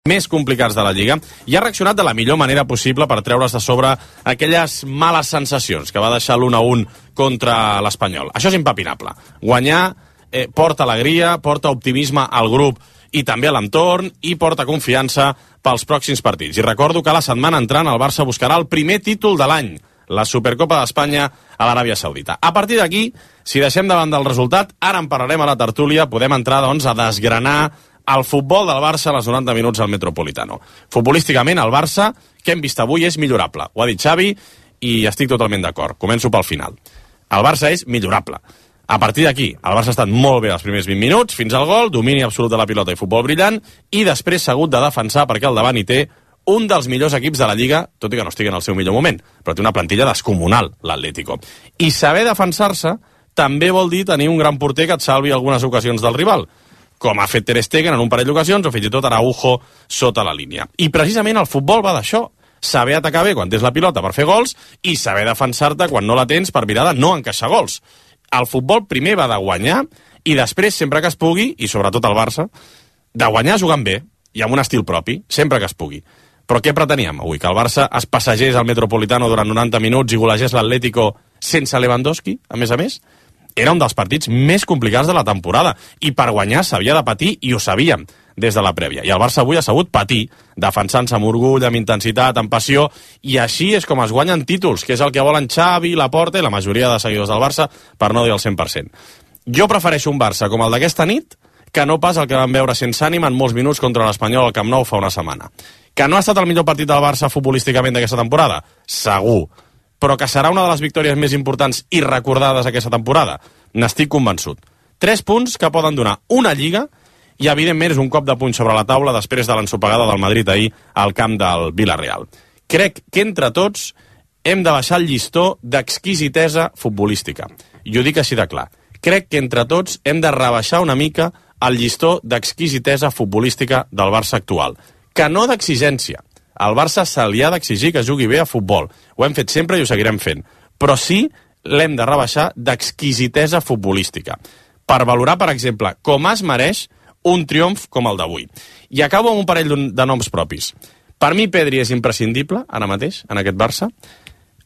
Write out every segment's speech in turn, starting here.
més complicats de la Lliga i ha reaccionat de la millor manera possible per treure's de sobre aquelles males sensacions que va deixar l'1-1 contra l'Espanyol. Això és impepinable. Guanyar porta alegria, porta optimisme al grup i també a l'entorn i porta confiança pels pròxims partits. I recordo que la setmana entrant el Barça buscarà el primer títol de l'any, la Supercopa d'Espanya a l'Aràbia Saudita. A partir d'aquí, si deixem davant del resultat, ara en parlarem a la tertúlia, podem entrar doncs, a desgranar el futbol del Barça a les 90 minuts al Metropolitano. Futbolísticament, el Barça, que hem vist avui, és millorable. Ho ha dit Xavi i estic totalment d'acord. Començo pel final. El Barça és millorable. A partir d'aquí, el Barça ha estat molt bé els primers 20 minuts, fins al gol, domini absolut de la pilota i futbol brillant, i després s'ha hagut de defensar perquè al davant hi té un dels millors equips de la Lliga, tot i que no estigui en el seu millor moment, però té una plantilla descomunal, l'Atlético. I saber defensar-se també vol dir tenir un gran porter que et salvi algunes ocasions del rival, com ha fet Ter Stegen en un parell d'ocasions, o fins i tot Araujo sota la línia. I precisament el futbol va d'això, saber atacar bé quan tens la pilota per fer gols i saber defensar-te quan no la tens per mirar de no encaixar gols. El futbol primer va de guanyar i després, sempre que es pugui, i sobretot el Barça, de guanyar jugant bé i amb un estil propi, sempre que es pugui. Però què preteníem avui? Que el Barça es passegés al Metropolitano durant 90 minuts i golegés l'Atlético sense Lewandowski, a més? Era un dels partits més complicats de la temporada i per guanyar s'havia de patir i ho sabíem des de la prèvia. I el Barça avui ha sabut patir, defensant-se amb orgull, amb intensitat, amb passió, i així és com es guanyen títols, que és el que volen Xavi, Laporta i la majoria de seguidors del Barça, per no dir el 100%. Jo prefereixo un Barça com el d'aquesta nit que no pas el que vam veure sense ànima en molts minuts contra l'Espanyol al Camp Nou fa una setmana. Que no ha estat el millor partit del Barça futbolísticament d'aquesta temporada? Segur. Però que serà una de les victòries més importants i recordades aquesta temporada? N'estic convençut. 3 punts que poden donar una Lliga i, evidentment, és un cop de puny sobre la taula després de l'ensopegada del Madrid ahir al camp del Villarreal. Crec que entre tots hem de baixar el llistó d'exquisitesa futbolística. I ho dic així de clar. Crec que entre tots hem de rebaixar una mica el llistó d'exquisitesa futbolística del Barça actual. Que no d'exigència. Al Barça se li ha d'exigir que jugui bé a futbol. Ho hem fet sempre i ho seguirem fent. Però sí l'hem de rebaixar d'exquisitesa futbolística. Per valorar, per exemple, com es mereix un triomf com el d'avui. I acabo amb un parell de noms propis. Per mi, Pedri és imprescindible, ara mateix, en aquest Barça.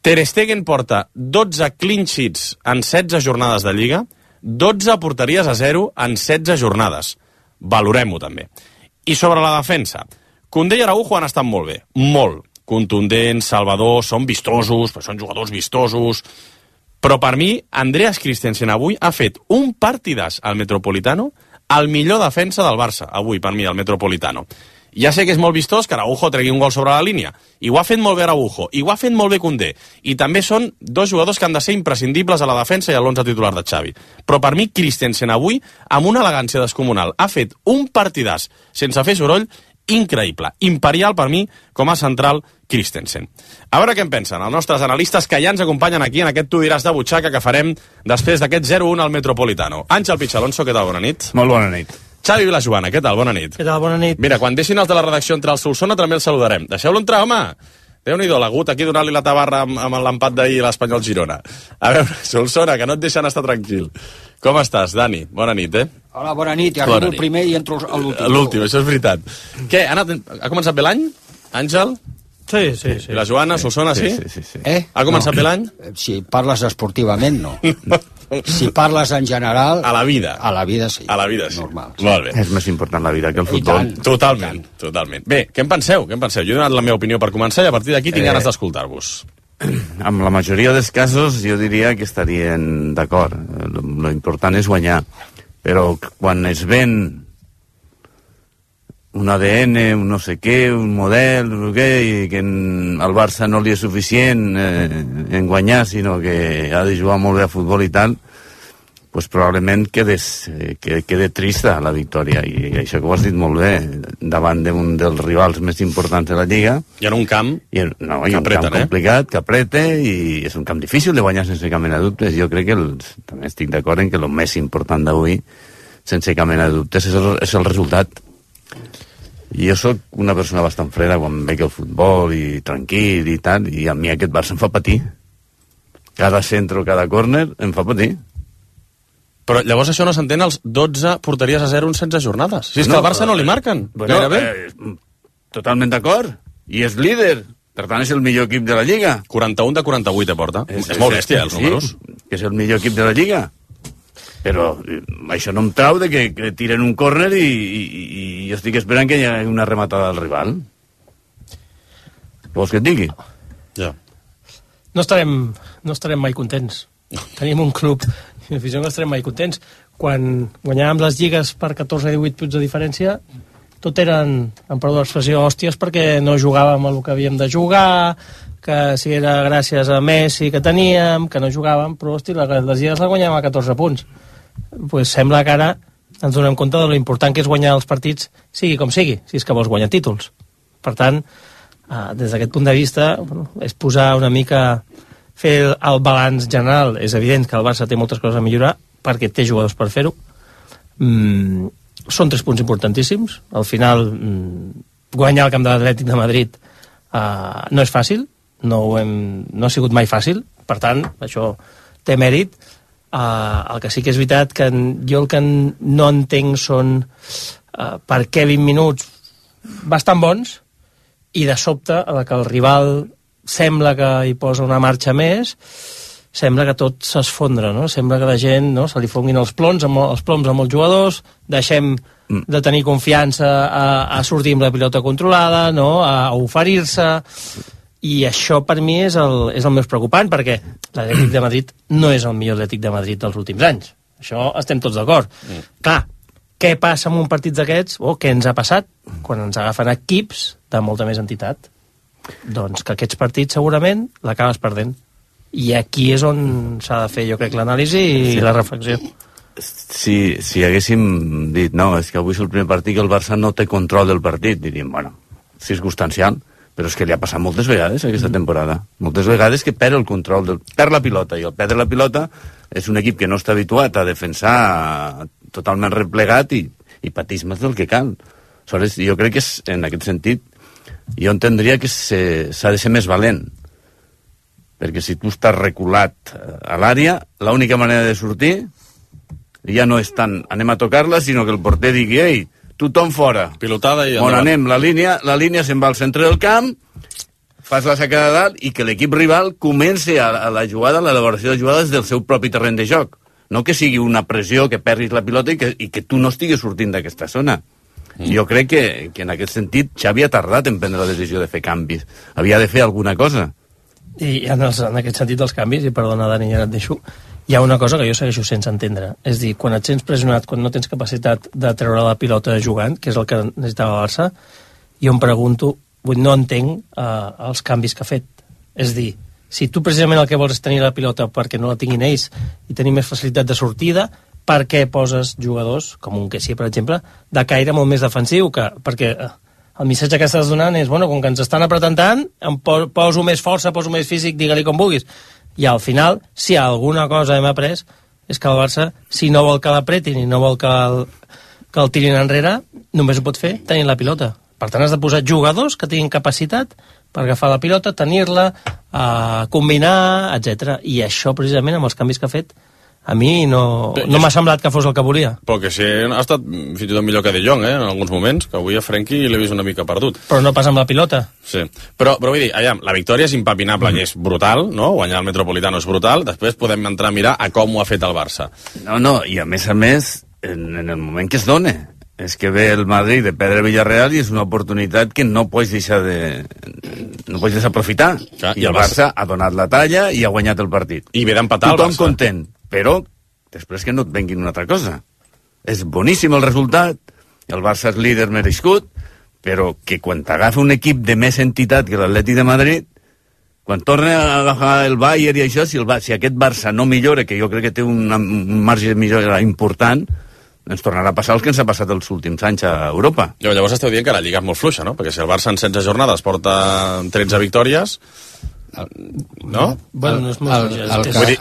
Ter Stegen porta 12 clean sheets en 16 jornades de Lliga, 12 porteries a 0 en 16 jornades. Valorem-ho, també. I sobre la defensa, Koundé i Araujo han estat molt bé, molt. Contundents, salvadors, són vistosos, són jugadors vistosos. Però per mi, Andreas Christensen avui ha fet un partidàs al Metropolitano, el millor defensa del Barça, avui, per mi, al Metropolitano. Ja sé que és molt vistós que Araujo tregui un gol sobre la línia, i ho ha fet molt bé Araujo, i ho ha fet molt bé Koundé, i també són 2 jugadors que han de ser imprescindibles a la defensa i a l'11 titular de Xavi. Però per mi, Christensen avui, amb una elegància descomunal, ha fet un partidàs sense fer soroll increïble, imperial per mi com a central Christensen. A veure què en pensen els nostres analistes que ja ens acompanyen aquí en aquest Tu diràs de butxaca que farem després d'aquest 0-1 al Metropolitano. Àngel Pichalonso, què tal? Bona nit. Molt bona nit. Xavi Vilajoana, què tal? Bona nit. Què tal? Bona nit. Mira, quan deixin els de la redacció entrar al Solsona també els saludarem. Deixeu-lo entrar, home! Déu-n'hi-do, l'agut aquí donant-li la tabarra amb l'empat d'ahir a l'Espanyol Girona. A veure, Solsona, que no et deixen estar tranquil. Com estàs, Dani? Bona nit, Hola, bona nit. I arribo el primer i entro a l'últim. L'últim, això és veritat. Què, ha començat bé l'any, Àngel? Sí. I la Joana, Solsona, sí? Sí. Ha començat bé l'any? Si parles esportivament, no. Si parles en general... A la vida. A la vida, sí. A la vida, sí. Normal. Sí. Molt bé. És més important la vida que el futbol. Totalment. Bé, què en penseu? Jo he donat la meva opinió per començar i a partir d'aquí tinc ganes d'escoltar-vos. Amb la majoria dels casos jo diria que estarien d'acord. Lo important és guanyar. Però quan es ven un ADN, un no sé què, un model, i que al Barça no li és suficient en guanyar, sinó que ha de jugar molt bé a futbol i tal, pues probablement quede trista la victòria. I això que ho has dit molt bé, davant d'un dels rivals més importants de la Lliga. I en un camp un camp complicat, que apreta, i és un camp difícil de guanyar sense cap mena de dubtes. Jo crec que també estic d'acord en que el més important d'avui, sense cap mena de dubtes, és el resultat. I jo sóc una persona bastant freda quan veig el futbol i tranquil i tal, i a mi aquest Barça em fa patir. Cada centre o cada córner em fa patir. Però llavors això no s'entén als 12 porteries a 0 en 16 jornades. Si és que al Barça no li marquen, gairebé. totalment d'acord, i és líder, per tant és el millor equip de la Lliga. 41 de 48 aporta. És molt bèstia, els números. Que és el millor equip de la Lliga. Però això no em trau de que tiren un córner i jo estic esperant que hi hagi una rematada del rival. Vols que et digui? Ja. No estarem mai contents. Tenim un club i l'afició no estarem mai contents. Quan guanyàvem les lligues per 14-18 punts de diferència, tot eren, en perdó l'expressió, hòsties, perquè no jugàvem el que havíem de jugar, que si era gràcies a Messi que teníem, que no jugàvem, però hosti, les lligues les guanyàvem a 14 punts. Pues sembla que ara ens donem compte de lo important que és guanyar els partits, sigui com sigui, si és que vols guanyar títols. Per tant, des d'aquest punt de vista, bueno, és posar una mica, fer el balanç general. És evident que el Barça té moltes coses a millorar, perquè té jugadors per fer-ho. Són 3 punts importantíssims. Al final, guanyar el camp de l'Atlètic de Madrid no és fàcil, no ha sigut mai fàcil, per tant, això té mèrit. El que sí que és veritat que jo el que no entenc són per què 20 minuts bastant bons i de sobte, a la que el rival sembla que hi posa una marxa més, sembla que tot s'esfondra, no? Sembla que la gent, no, se li fonguin els ploms amb els jugadors, deixem de tenir confiança a sortir amb la pilota controlada, no? A oferir-se, i això per mi és el més preocupant, perquè l'Atlètic de Madrid no és el millor Atlètic de Madrid dels últims anys. Això estem tots d'acord. Clar, què passa en un partit d'aquests, o què ens ha passat quan ens agafen equips de molta més entitat? Doncs que aquests partits segurament l'acabes perdent. I aquí és on s'ha de fer, jo crec, l'anàlisi i la reflexió. Si haguéssim dit, no, és que avui és el primer partit que el Barça no té control del partit, diríem, bueno, circumstancial, però és que li ha passat moltes vegades aquesta temporada. Moltes vegades que perd el control, perd la pilota, i el perdre la pilota és un equip que no està habituat a defensar totalment replegat i pateix més del que cal. Aleshores, jo crec que en aquest sentit jo entendria que s'ha de ser més valent, perquè si tu estàs reculat a l'àrea, l'única manera de sortir ja no és tant anem a tocar-la, sinó que el porter digui, ei, tothom fora. Pilotada i on anem, la línia se'n va al centre del camp, fas la sacada de dalt i que l'equip rival comenci a la jugada, a l'elaboració de jugades del seu propi terreny de joc. No que sigui una pressió, que perdis la pilota i que tu no estiguis sortint d'aquesta zona. Jo crec que en aquest sentit Xavi ha tardat en prendre la decisió de fer canvis. Havia de fer alguna cosa. I en aquest sentit dels canvis, i perdona Dani, ja et deixo, hi ha una cosa que jo segueixo sense entendre. És dir, quan et sents pressionat, quan no tens capacitat de treure la pilota jugant, que és el que necessitava el Barça, jo em pregunto, no entenc els canvis que ha fet. És dir, si tu precisament el que vols és tenir la pilota perquè no la tinguin ells i tenir més facilitat de sortida, per què poses jugadors, com un Kessie, per exemple, de caire molt més defensiu, perquè el missatge que estàs donant és, bueno, com que ens estan apretant tant, em poso més força, poso més físic, digue-li com vulguis. I al final, si alguna cosa hem après, és que el Barça, si no vol que l'apretin i no vol que el tirin enrere, només ho pot fer tenint la pilota. Per tant, has de posar jugadors que tinguin capacitat per agafar la pilota, tenir-la, combinar, etc. I això, precisament, amb els canvis que ha fet, a mi no m'ha semblat que fos el que volia. Però que sí, ha estat fins i tot millor que De Jong, en alguns moments, que avui a Frenkie l'he vist una mica perdut. Però no pas amb la pilota. Sí, però vull dir, la victòria és impepinable i és brutal, no? Guanyar el Metropolitano és brutal, després podem entrar a mirar a com ho ha fet el Barça. No, i a més, en el moment que es dona, és que ve el Madrid de perdre Villarreal i és una oportunitat que no pots deixar desaprofitar. I el Barça ha donat la talla i ha guanyat el partit. I ve d'empatar el Barça. Tothom content, però després que no et venguin una altra cosa. És boníssim el resultat, el Barça és líder merescut, però que quan t'agafa un equip de més entitat que l'Atlètic de Madrid, quan torna a agafar el Bayern i això, si aquest Barça no millora, que jo crec que té un marge de millora important, ens tornarà a passar el que ens ha passat els últims anys a Europa. Llavors esteu dient que la Lliga és molt fluixa, no? Perquè si el Barça en 16 jornades porta 13 victòries, no? Bueno, no és molt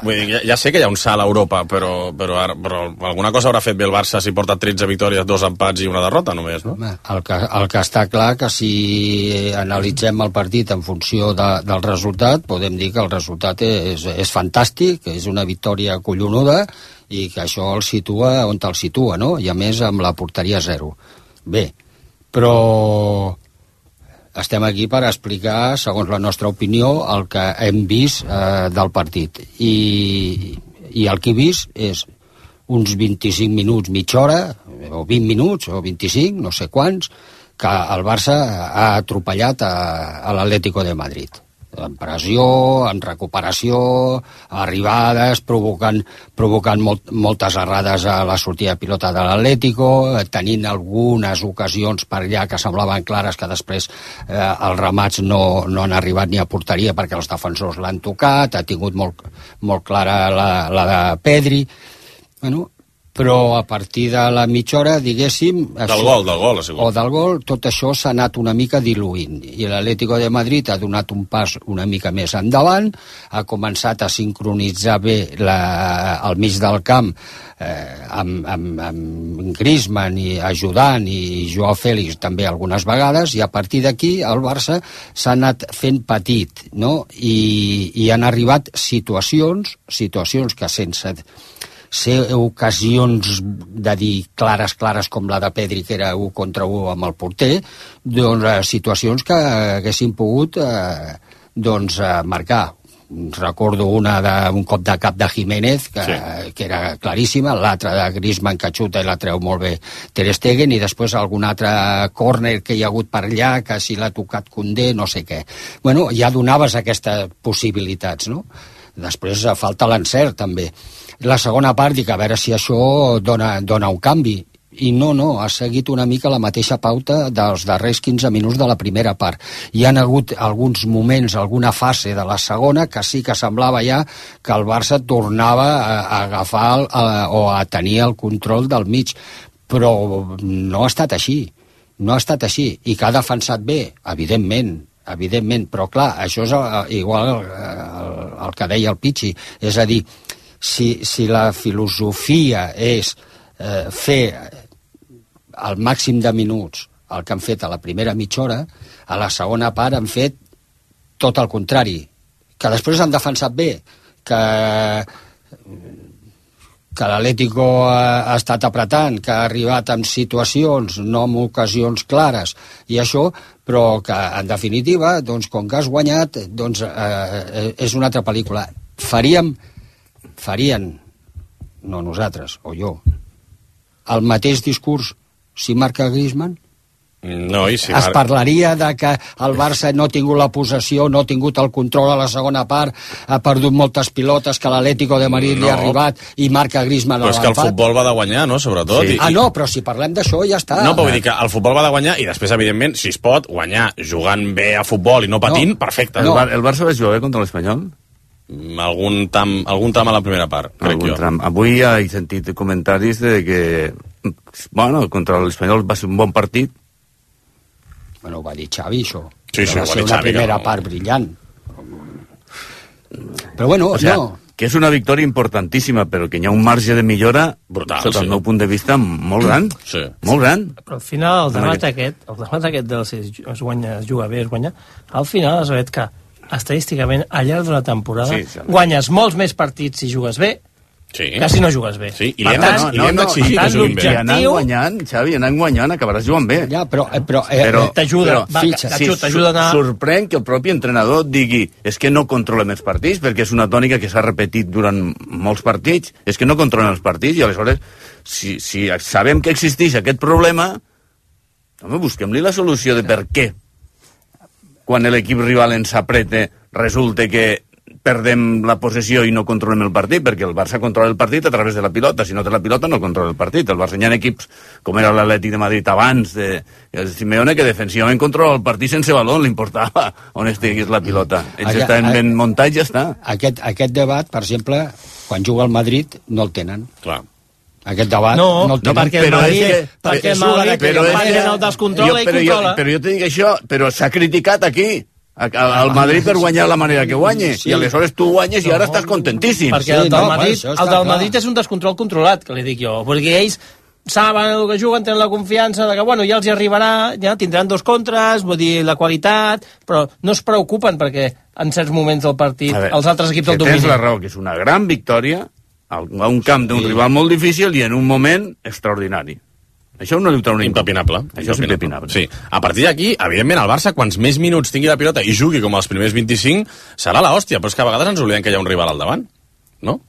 vull dir, ja sé que hi ha un salt a Europa, però alguna cosa haurà fet bé el Barça si porta 13 victòries, 2 empats i una derrota només, no? El que està clar que si analitzem el partit en funció del resultat, podem dir que el resultat és fantàstic, és una victòria collonuda i que això el situa on el situa, no? I a més amb la porteria 0. Bé, però Estem aquí per explicar, segons la nostra opinió, el que hem vist del partit. I el que he vist és uns 25 minuts, mitja hora, o 20 minuts, o 25, no sé quants, que el Barça ha atropellat a l'Atlético de Madrid. En pressió, en recuperació, arribades, provocant moltes errades a la sortida de pilota de l'Atlético, tenint algunes ocasions per allà que semblaven clares que després els remats no han arribat ni a porteria perquè els defensors l'han tocat, ha tingut molt clara la de Pedri. Bueno, però a partir de la mitja hora, diguéssim... Del gol, ha sigut. O del gol, tot això s'ha anat una mica diluint. I l'Atlético de Madrid ha donat un pas una mica més endavant, ha començat a sincronitzar bé al mig del camp amb Griezmann i ajudant, i Joao Félix també algunes vegades, i a partir d'aquí el Barça s'ha anat fent petit, no? I han arribat situacions que sense ser ocasions de dir clares com la de Pedri, que era 1 contra 1 amb el porter, doncs situacions que haguessin pogut marcar. Recordo una d'un cop de cap de Jiménez, que era claríssima, l'altra de Griezmann, que xuta i la treu molt bé Ter Stegen, i després algun altre córner que hi ha hagut per allà, que si l'ha tocat Koundé, no sé què. Bueno, ja donaves aquestes possibilitats, no? Després falta l'encert, també. La segona part, dic, a veure si això dona un canvi. I no, ha seguit una mica la mateixa pauta dels darrers 15 minuts de la primera part. Hi han hagut alguns moments, alguna fase de la segona, que sí que semblava ja que el Barça tornava a agafar o a tenir el control del mig. Però no ha estat així. No ha estat així. I que ha defensat bé, evidentment, però clar, això és igual el que deia el Pichi, és a dir, si la filosofia és fer al màxim de minuts el que han fet a la primera mitja hora, a la segona part han fet tot el contrari, que després han defensat bé, que l'Atlético ha estat apretant, que ha arribat en situacions, no en ocasions clares, i això, però que, en definitiva, doncs, com que has guanyat, doncs, és una altra pel·lícula. Farien, no nosaltres, o jo, el mateix discurs si marca Griezmann? No, i si es parlaria de que el Barça no ha tingut la possessió, no ha tingut el control a la segona part, ha perdut moltes pilotes, que l'Atlético de Madrid li ha arribat i marca Griezmann a l'empat. Però és que el futbol va de guanyar, no?, sobretot. Sí. No, però si parlem d'això ja està. No, però vull dir que el futbol va de guanyar i després, evidentment, si es pot guanyar jugant bé a futbol i no patint, perfecte. No. El Barça va jugar bé contra l'Espanyol? Algun tram a la primera part, crec jo. Avui he sentit comentaris de que, bueno, contra l'Espanyol va ser un bon partit. Bueno, ho va dir Xavi, això. Sí, va ser una primera part brillant. Però bueno, que és una victòria importantíssima, però que hi ha un marge de millora brutal, sota el meu punt de vista, molt gran. Sí. Molt gran. Però al final el debat aquest del si es juga bé, es guanya, al final has vist que estadísticament al llarg d'una temporada guanyes molts més partits si jugues bé que si no jugues bé. Sí, i li hem d'exigir que juguin bé. I anant guanyant, Xavi, acabaràs jugant bé. Ja, però t'ajuda a anar... Sorprèn que el propi entrenador digui és que no controlem els partits, perquè és una tònica que s'ha repetit durant molts partits, és que no controlem els partits, i aleshores, si sabem que existeix aquest problema, busquem-li la solució de per què. Quan l'equip rival ens apreta, resulta que perdem la possessió i no controlem el partit, perquè el Barça controla el partit a través de la pilota. Si no té la pilota, no controla el partit. El Barça hi ha equips, com era l'Atlètic de Madrid abans, el Simeone, que defensivament controla el partit sense balón, li importava on estigués la pilota. Ells estan ben muntats i ja està. Aquest debat, per exemple, quan juga al Madrid, no el tenen. Clar. Aquest debat no el tenen. Perquè el Madrid el descontrola i controla. Però jo te dic això, però s'ha criticat aquí al Madrid per guanyar la manera que guanya, i aleshores tu guanyes i ara estàs contentíssim. Perquè el del Madrid és un descontrol controlat, que li dic jo, perquè ells saben el que juguen, tenen la confiança de que ja els hi arribarà, ja tindran 2 contres, vull dir, la qualitat, però no es preocupen perquè en certs moments del partit els altres equips el dominen. Tens la raó, que és una gran victòria a un camp d'un rival molt difícil i en un moment extraordinari. Això no li ho treu ningú. Impepinable. Això és impepinable. Sí. A partir d'aquí, evidentment, el Barça, quants més minuts tingui la pilota i jugui com els primers 25, serà l'hòstia, però és que a vegades ens oblidem que hi ha un rival al davant, no?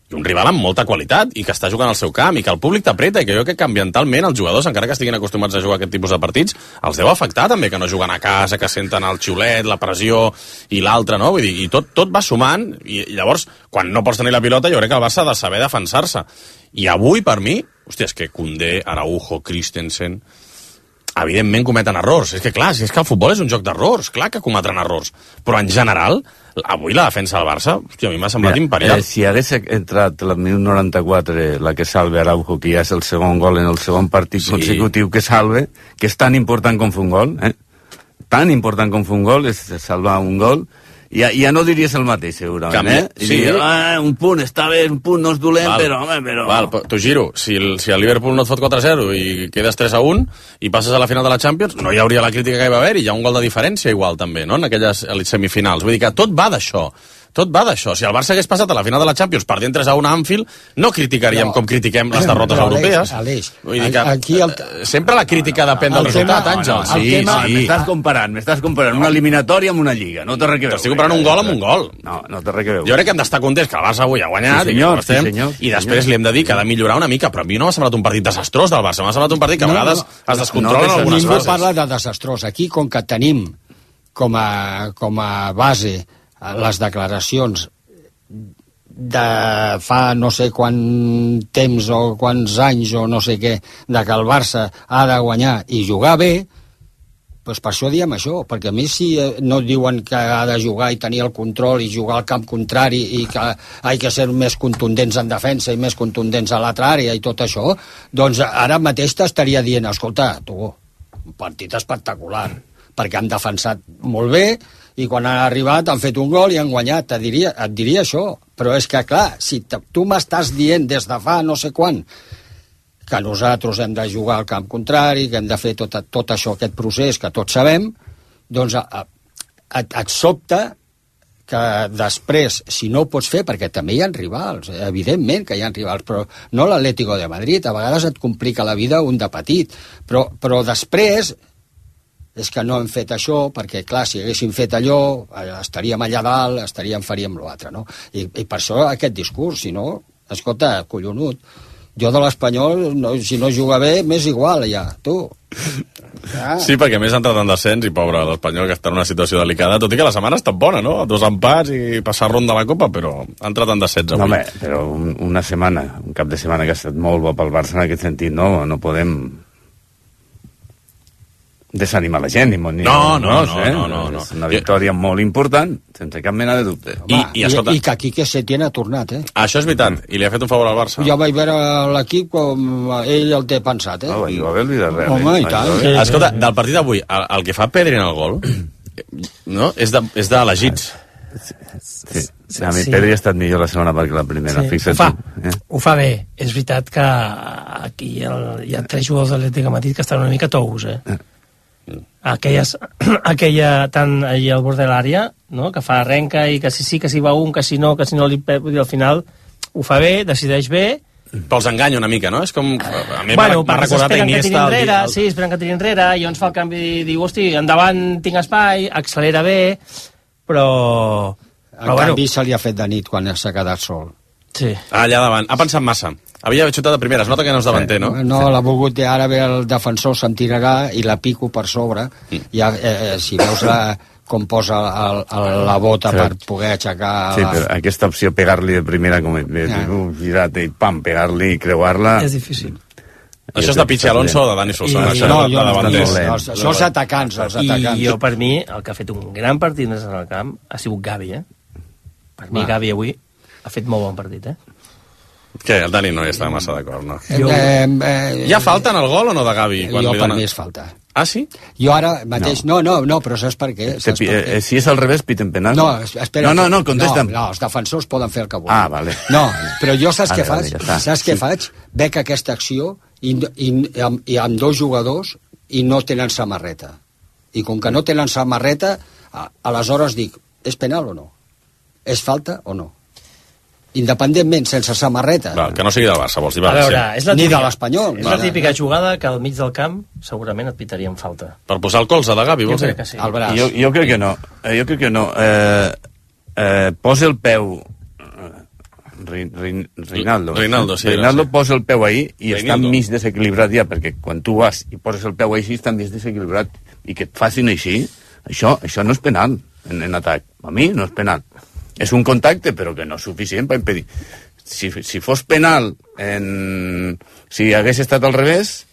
I un rival amb molta qualitat i que està jugant al seu camp i que el públic t'apreta i que jo crec que ambientalment els jugadors, encara que estiguin acostumats a jugar aquest tipus de partits, els deu afectar també que no juguen a casa, que senten el xiulet, la pressió i l'altre, no? Vull dir, i tot va sumant i llavors, quan no pots tenir la pilota, jo crec que el Barça ha de saber defensar-se. I avui, per mi, hòstia, és que Koundé, Araujo, Christensen, evidentment cometen errors. És que clar, és que el futbol és un joc d'errors, clar que cometran errors. Però en general, avui la defensa del Barça, hòstia, a mi m'ha semblat imperial. Si hagués entrat al minut 94 la que salve Araujo, que ja és el segon gol en el segon partit consecutiu que salve, que és tan important com fer un gol, tan important com fer un gol, és salvar un gol, ja no diries el mateix, segurament, Sí. Un punt, està bé, un punt no és dolent, però... Val, t'ho giro, si el Liverpool no et fot 4-0 i quedes 3-1 i passes a la final de la Champions, no hi hauria la crítica que hi va haver, i hi ha un gol de diferència igual també, no?, en aquelles semifinals. Vull dir que tot va d'això. Tot va d'això. Si el Barça hagués passat a la final de la Champions perdent 3-1 a Anfield, no criticaríem com critiquem les derrotes europees. Vull dir que sempre la crítica depèn del resultat, Àngel. Sí. M'estàs comparant una eliminatòria amb una lliga. No té res que veure. T'estic comparant un gol amb un gol. No té res que veure. Jo crec que hem d'estar contents que el Barça avui ha guanyat, i després li hem de dir que ha de millorar una mica, però a mi no m'ha semblat un partit desastrós del Barça, m'ha semblat un partit que a vegades es descontrola en algunes fases. Ningú parla de desastrós. Aquí, com que tenim com a base les declaracions de fa no sé quant temps o quants anys o no sé què, de que el Barça ha de guanyar i jugar bé, doncs per això diem això, perquè a mi si no diuen que ha de jugar i tenir el control i jugar al camp contrari i que ha de ser més contundents en defensa i més contundents a l'altra àrea i tot això, doncs ara mateix t'estaria dient, escolta, tu, un partit espectacular, perquè han defensat molt bé i quan han arribat han fet un gol i han guanyat, et diria això, però és que clar, si tu m'estàs dient des de fa no sé quan que nosaltres hem de jugar al camp contrari, que hem de fer tot això, aquest procés que tots sabem, doncs et sobta que després, si no ho pots fer, perquè també hi ha rivals, evidentment que hi ha rivals, però no l'Atlético de Madrid, a vegades et complica la vida un de petit, però després és que no hem fet això, perquè clar, si haguéssim fet allò, estaríem allà dalt, faríem l'altre, no? I per això aquest discurs, si no, escolta, collonut, jo de l'Espanyol, si no juga bé, m'és igual, ja, tu. Ja. Sí, perquè més ha entrat en descens i pobre l'Espanyol, que està en una situació delicada, tot i que la setmana ha estat bona, no? 2 empats i passar ronda a la Copa, però ha entrat en descens avui. No, home, però una setmana, un cap de setmana que ha estat molt bo pel Barça en aquest sentit, no podem desanimar la gent, no. És una victòria molt important, sense cap mena de dubte. I que Quique Setién ha tornat, Això és veritat, i li ha fet un favor al Barça. Ja vaig veure l'equip com ell el té pensat, vaig veure el Villarreal. Home, i tant. Escolta, del partit d'avui, el que fa Pedri en el gol, no? És d'elegits. Sí. A mi Pedri ha estat millor la segona part que la primera. Ho fa bé. És veritat que aquí hi ha 3 jugadors de l'Atlètic de Madrid que estan una mica tous, aquella tant allà al bord de l'àrea, no? Que fa arrenca i que sí, que si va un, que si no li pep, i al final ho fa bé, decideix bé, però els enganya una mica, no? És com... A mi m'ha recordat a Iniesta... Sí, esperen que tiri enrere, i llavors fa el canvi i diu, hosti, endavant tinc espai, accelera bé, però en canvi se li ha fet de nit quan s'ha quedat sol. Sí. Allà davant. Ha pensat massa. Havia xutat de primera. Es nota que no és davanter, no? No, l'ha volgut ara ve el defensor s'entirarà i la pico per sobre. Ja, si veus com posa la bota per poder aixecar... Sí, però aquesta opció, pegar-li de primera, com girar-te i pam, pegar-li i creuar-la... És difícil. Això és de Pichi Alonso o de Dani Solsona? Això és atacants. I jo, per mi, el que ha fet un gran partit en el camp ha sigut Gavi, Per mi, Gavi avui ha fet molt bon partit, Què, el Dani no hi està massa d'acord, no? Hi ha falta en el gol o no de Gavi? Jo per mi és falta. Ah, sí? Jo ara mateix... No, però saps per què? Si és al revés, piten penal? No, espera. No, contesta'm. No, els defensors poden fer el que vulguin. Ah, vale. No, però jo saps què faig? Saps què faig? Veig aquesta acció i amb 2 jugadors i no tenen samarreta. I com que no tenen samarreta, aleshores dic, és penal o no? És falta o no? independentment, sense samarreta. Val, que no sigui del Barça, vols dir? A veure, Sí. és la Ni de típica, l'Espanyol. és la típica jugada que al mig del camp segurament et pitarien falta. Per posar el colze de Gavi, Jo vols dir? crec que sí. Al braç. Jo crec que no. Jo crec que no. Posa el peu... Reinaldo. Reinaldo, sí, Reinaldo sí. posa el peu ahí i està Reinaldo. mig desequilibrat ja, perquè quan tu vas i poses el peu així està mig desequilibrat i que et facin així, això no és penal en atac. A mi no és penal. És un contacte, però que no és suficient per impedir. Si fos penal si hagués estat al revés,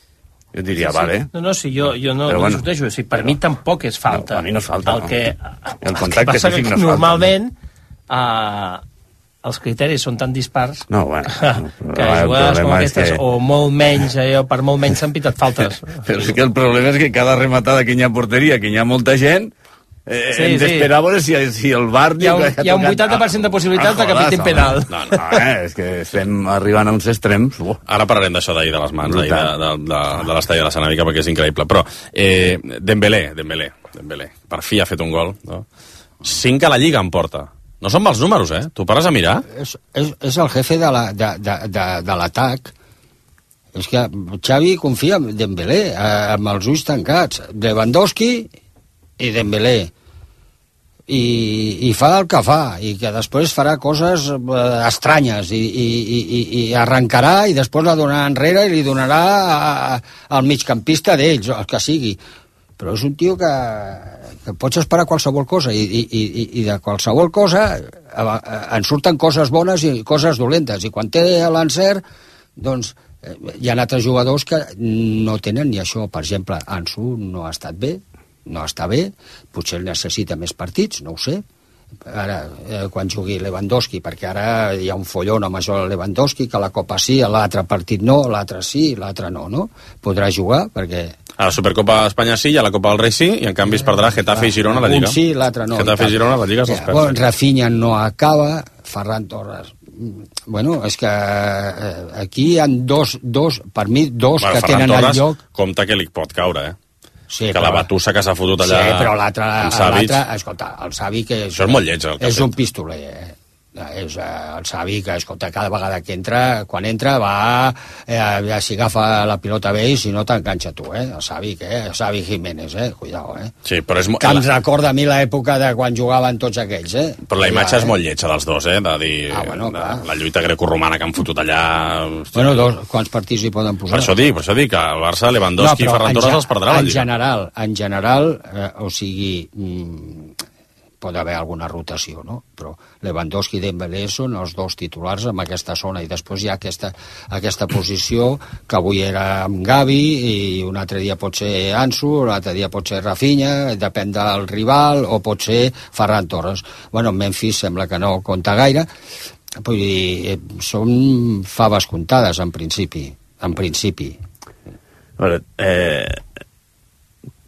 jo diria, vale. No, sí, jo no discuteixo. O sigui, per mi tampoc és falta. No, a mi no és falta, El que contacte passa físic que no és falta. normalment els criteris són tan dispars No, bueno. que jugades com aquestes, o molt menys, per molt menys s'han pitat faltes. Però sí que el problema és que cada rematada que hi ha porteria, que hi ha molta gent, hem d'esperar a veure si el VAR... Hi ha un 80% de possibilitat de que pitin penal. No, és que estem arribant a uns extrems. Ara parlarem d'això d'ahir de les mans, d'ahir de l'estadi de la Sanàvica, perquè és increïble. Però Dembélé, per fi ha fet un gol. No? 5 a la Lliga en porta. No són mals números, Tu pares a mirar? És el jefe de l'atac. És que Xavi confia en Dembélé, amb els ulls tancats. Lewandowski i Dembélé. I fa el que fa, i que després farà coses estranyes, i arrencarà, i després la donarà enrere, i li donarà al migcampista d'ells, el que sigui. Però és un tio que pots esperar qualsevol cosa, i de qualsevol cosa en surten coses bones i coses dolentes, i quan té l'encert, doncs hi ha altres jugadors que no tenen ni això. Per exemple, Ansu no ha estat bé, no està bé, potser necessita més partits, no ho sé. Ara, quan jugui Lewandowski, perquè ara hi ha un follon amb això de Lewandowski, que la Copa sí, l'altre partit no, l'altre sí, l'altre no? Podrà jugar, perquè... A la Supercopa d'Espanya sí, i a la Copa del Rei sí, i en canvi es perdrà Getafe i Girona a la Lliga. Un sí, l'altre no. Getafe i Girona a la Lliga se'ls perd. Bueno, Rafinha no acaba, Ferran Torres... Bueno, és que aquí hi ha dos, per mi, que tenen el lloc... Compte que li pot caure, Sí, que la batussa que s'ha fotut allà... Sí, però l'altre, escolta, el Savic... Això és molt lleig, el que és un pistoler, És el Savic, escolta, cada vegada que entra, quan entra, va... si agafa la pilota bé, i si no t'enganxa tu, El Savic, el Savic Jiménez, cuidao, Sí, però és... Que ens recorda a mi l'època de quan jugaven tots aquells, Però la imatge és molt lletja dels dos, de dir... la lluita grecorromana que han fotut allà... Bueno, quants partits hi poden posar? Per això dic, que el Barça, Lewandowski i Ferran Torres els perdrà la Lliga. En general, o sigui... pot haver alguna rotació, no? Però Lewandowski i Dembélé són els dos titulars en aquesta zona, i després hi ha aquesta posició que avui era amb Gavi, i un altre dia pot ser Ansu, l'altre dia pot ser Rafinha, depèn del rival, o pot ser Ferran Torres. Bueno, Memphis sembla que no compta gaire, vull dir, són faves comptades en principi. A veure,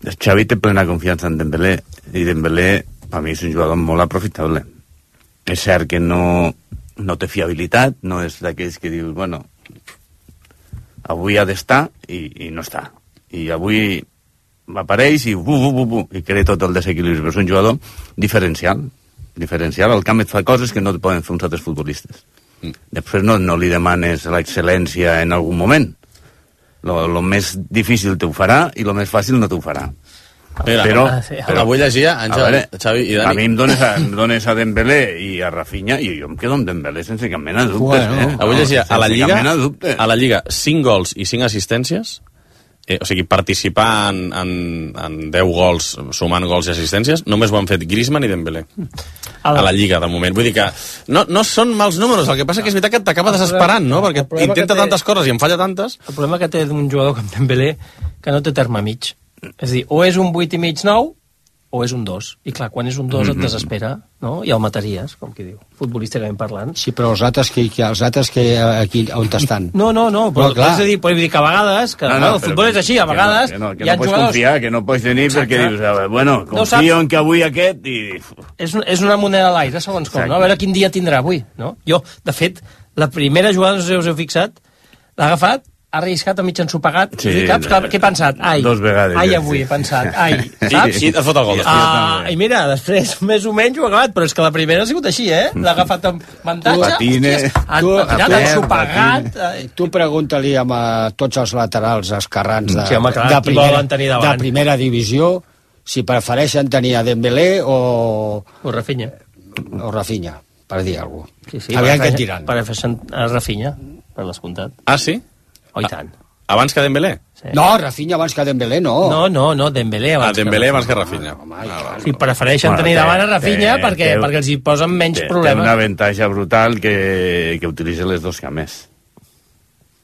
Xavi té plena confiança en Dembélé, i Dembélé a mi és un jugador molt aprofitable. És cert que no té fiabilitat, no és d'aquells que dius, bueno, avui ha d'estar i no està. I avui apareix i crea tot el desequilibri. Però és un jugador diferencial. Al camp et fa coses que no poden fer uns altres futbolistes. Després no li demanes l'excel·lència en algun moment. Lo més difícil t'ho farà i lo més fàcil no t'ho farà. Però avui llegia, Àngel, Xavi i Dani... A mi em dones a Dembélé i a Rafinha, i jo em quedo amb Dembélé sense cap mena de dubtes. Avui llegia, a la Lliga 5 gols i 5 assistències, o sigui, participar en 10 gols, sumant gols i assistències, només ho han fet Griezmann i Dembélé. A la Lliga, de moment. Vull dir que no són mals números, el que passa que és veritat que t'acaba desesperant, no? Perquè intenta tantes coses i en falla tantes. El problema que té d'un jugador com Dembélé que no té terme mig. És a dir, o és un 8,5-9 o és un 2. I clar, quan és un 2 et desespera, no? I el mataries, com qui diu, futbolísticament parlant. Sí, però els altres que aquí on estan? No, però és a dir, vull dir que a vegades, que el futbol és així, a vegades que no pots confiar, que no pots tenir perquè dius, bueno, confio en que avui aquest i... És una moneda a l'aire, segons com, no? A veure quin dia tindrà avui, no? Jo, de fet, la primera jugada, no sé si us heu fixat, l'ha agafat, ha arriscat a mig ensopegat, Sí, i caps, què he pensat? Ai, 2 vegades. ai, avui he pensat, ai, saps? I et fot el gol. I mira, després, més o menys ho ha acabat, però és que la primera ha sigut així, l'ha agafat amb avantatge, Patine. ha tirat ensopegat. Tu pregunta-li a tots els laterals esquerrans Sí, home, clar, qui volen tenir davant? de primera divisió si prefereixen tenir a Dembélé o Rafinha. Rafinha, per dir alguna cosa. Sí, Aviam què et diran. Prefereixen a Rafinha, per descomptat. Ah, sí? Oh, i tant. Abans que Dembélé? Sí. No, Rafinha abans que Dembélé, no. No, Dembélé abans. Dembélé abans que Rafinha. Sí, prefereixen tenir davant a Rafinha perquè els hi posen menys Té problemes. un avantatge brutal que utilitza les dos cames.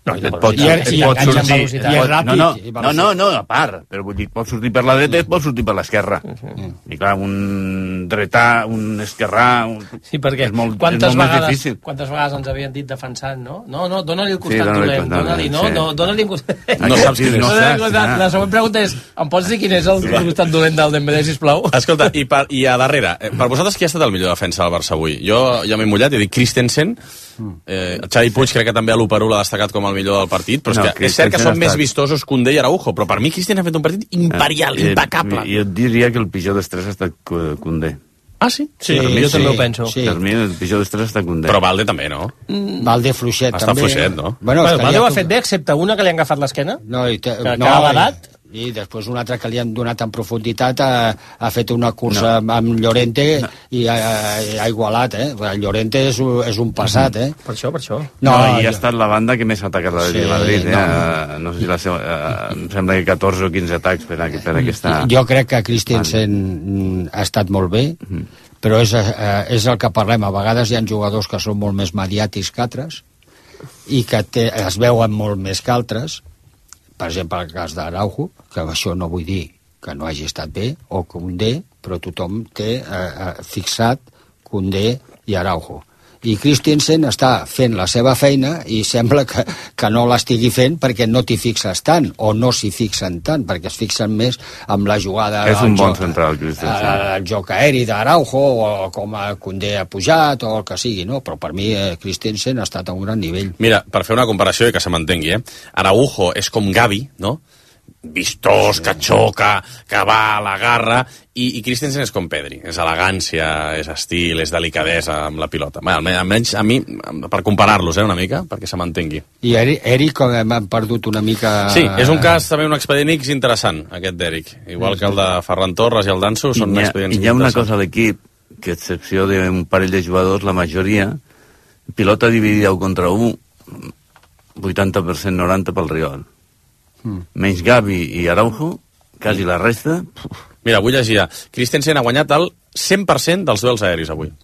No, Et pot sortir... I és ràpid. No, a part. Però vull dir, pot sortir per la dreta i pot sortir per l'esquerra. I clar, un dretà, un esquerrà... Sí, perquè és molt quantes més difícil. vegades ens havien dit defensant, no? No, dona-li el costat dona-li dolent, el costat, dona-li un costat... No saps quin és. No saps, La següent pregunta és, em pots dir quin és el costat dolent del Dembélé, sisplau? Escolta, i a darrere, per vosaltres qui ha estat el millor defensa del Barça avui? Jo ja m'he mullat i dic Christensen, Xavi Puig crec que també a l'1-1 l'ha destacat com el millor del partit, però és cert que són més vistosos Koundé i Araujo, però per mi Christensen ha fet un partit imperial, impecable. Jo diria que el pitjor dels tres ha estat Koundé. Ah, sí? Sí, jo també ho penso. Sí. Per mi el pitjor dels tres ha estat Koundé. Però Valde també, no? Valde fluixet, Està també. fluixet, no? Bueno, Valde ho ha fet bé, excepte una que li han agafat l'esquena. No, que ha badat. I després un altre que li han donat en profunditat ha fet una cursa amb Llorente i ha igualat, El Llorente és un passat, Per això. I ha estat la banda que més ha atacat la de Madrid, No sé si la seva... em sembla que 14 o 15 atacs per aquesta... Jo crec que Christensen ha estat molt bé, però és el que parlem. A vegades hi ha jugadors que són molt més mediàtics que altres i que es veuen molt més que altres. Per exemple, el cas d'Araujo, que això no vull dir que no hagi estat bé, o Koundé, però tothom té fixat Koundé i Araujo. I Christensen està fent la seva feina i sembla que no l'estigui fent perquè no t'hi fixes tant, o no s'hi fixen tant, perquè es fixen més amb la jugada... És un bon central, Christensen. El joc aeri d'Araujo, o com Koundé ha pujat, o el que sigui, no? Però per mi Christensen ha estat a un gran nivell. Mira, per fer una comparació i que se m'entengui, Araujo és com Gavi, no? Vistós, que xoca, que va a la garra, i Christensen és com Pedri, és elegància, és estil, és delicadesa amb la pilota. Bé, almenys a mi, per comparar-los una mica, perquè se m'entengui. I Eric m'han perdut una mica... Sí, és un cas, també un expedient X interessant, aquest d'Eric. Igual que el de Ferran Torres i el Danso, són expedients interessants. I hi ha una cosa interessants. a l'equip, que a excepció d'un parell de jugadors, la majoria, pilota dividida 1 contra 1, 80% 90 pel Riol. Menys Gavi i Araujo, quasi la resta... Mira, avui llegia, Christensen ha guanyat el 100% dels duels aeris avui.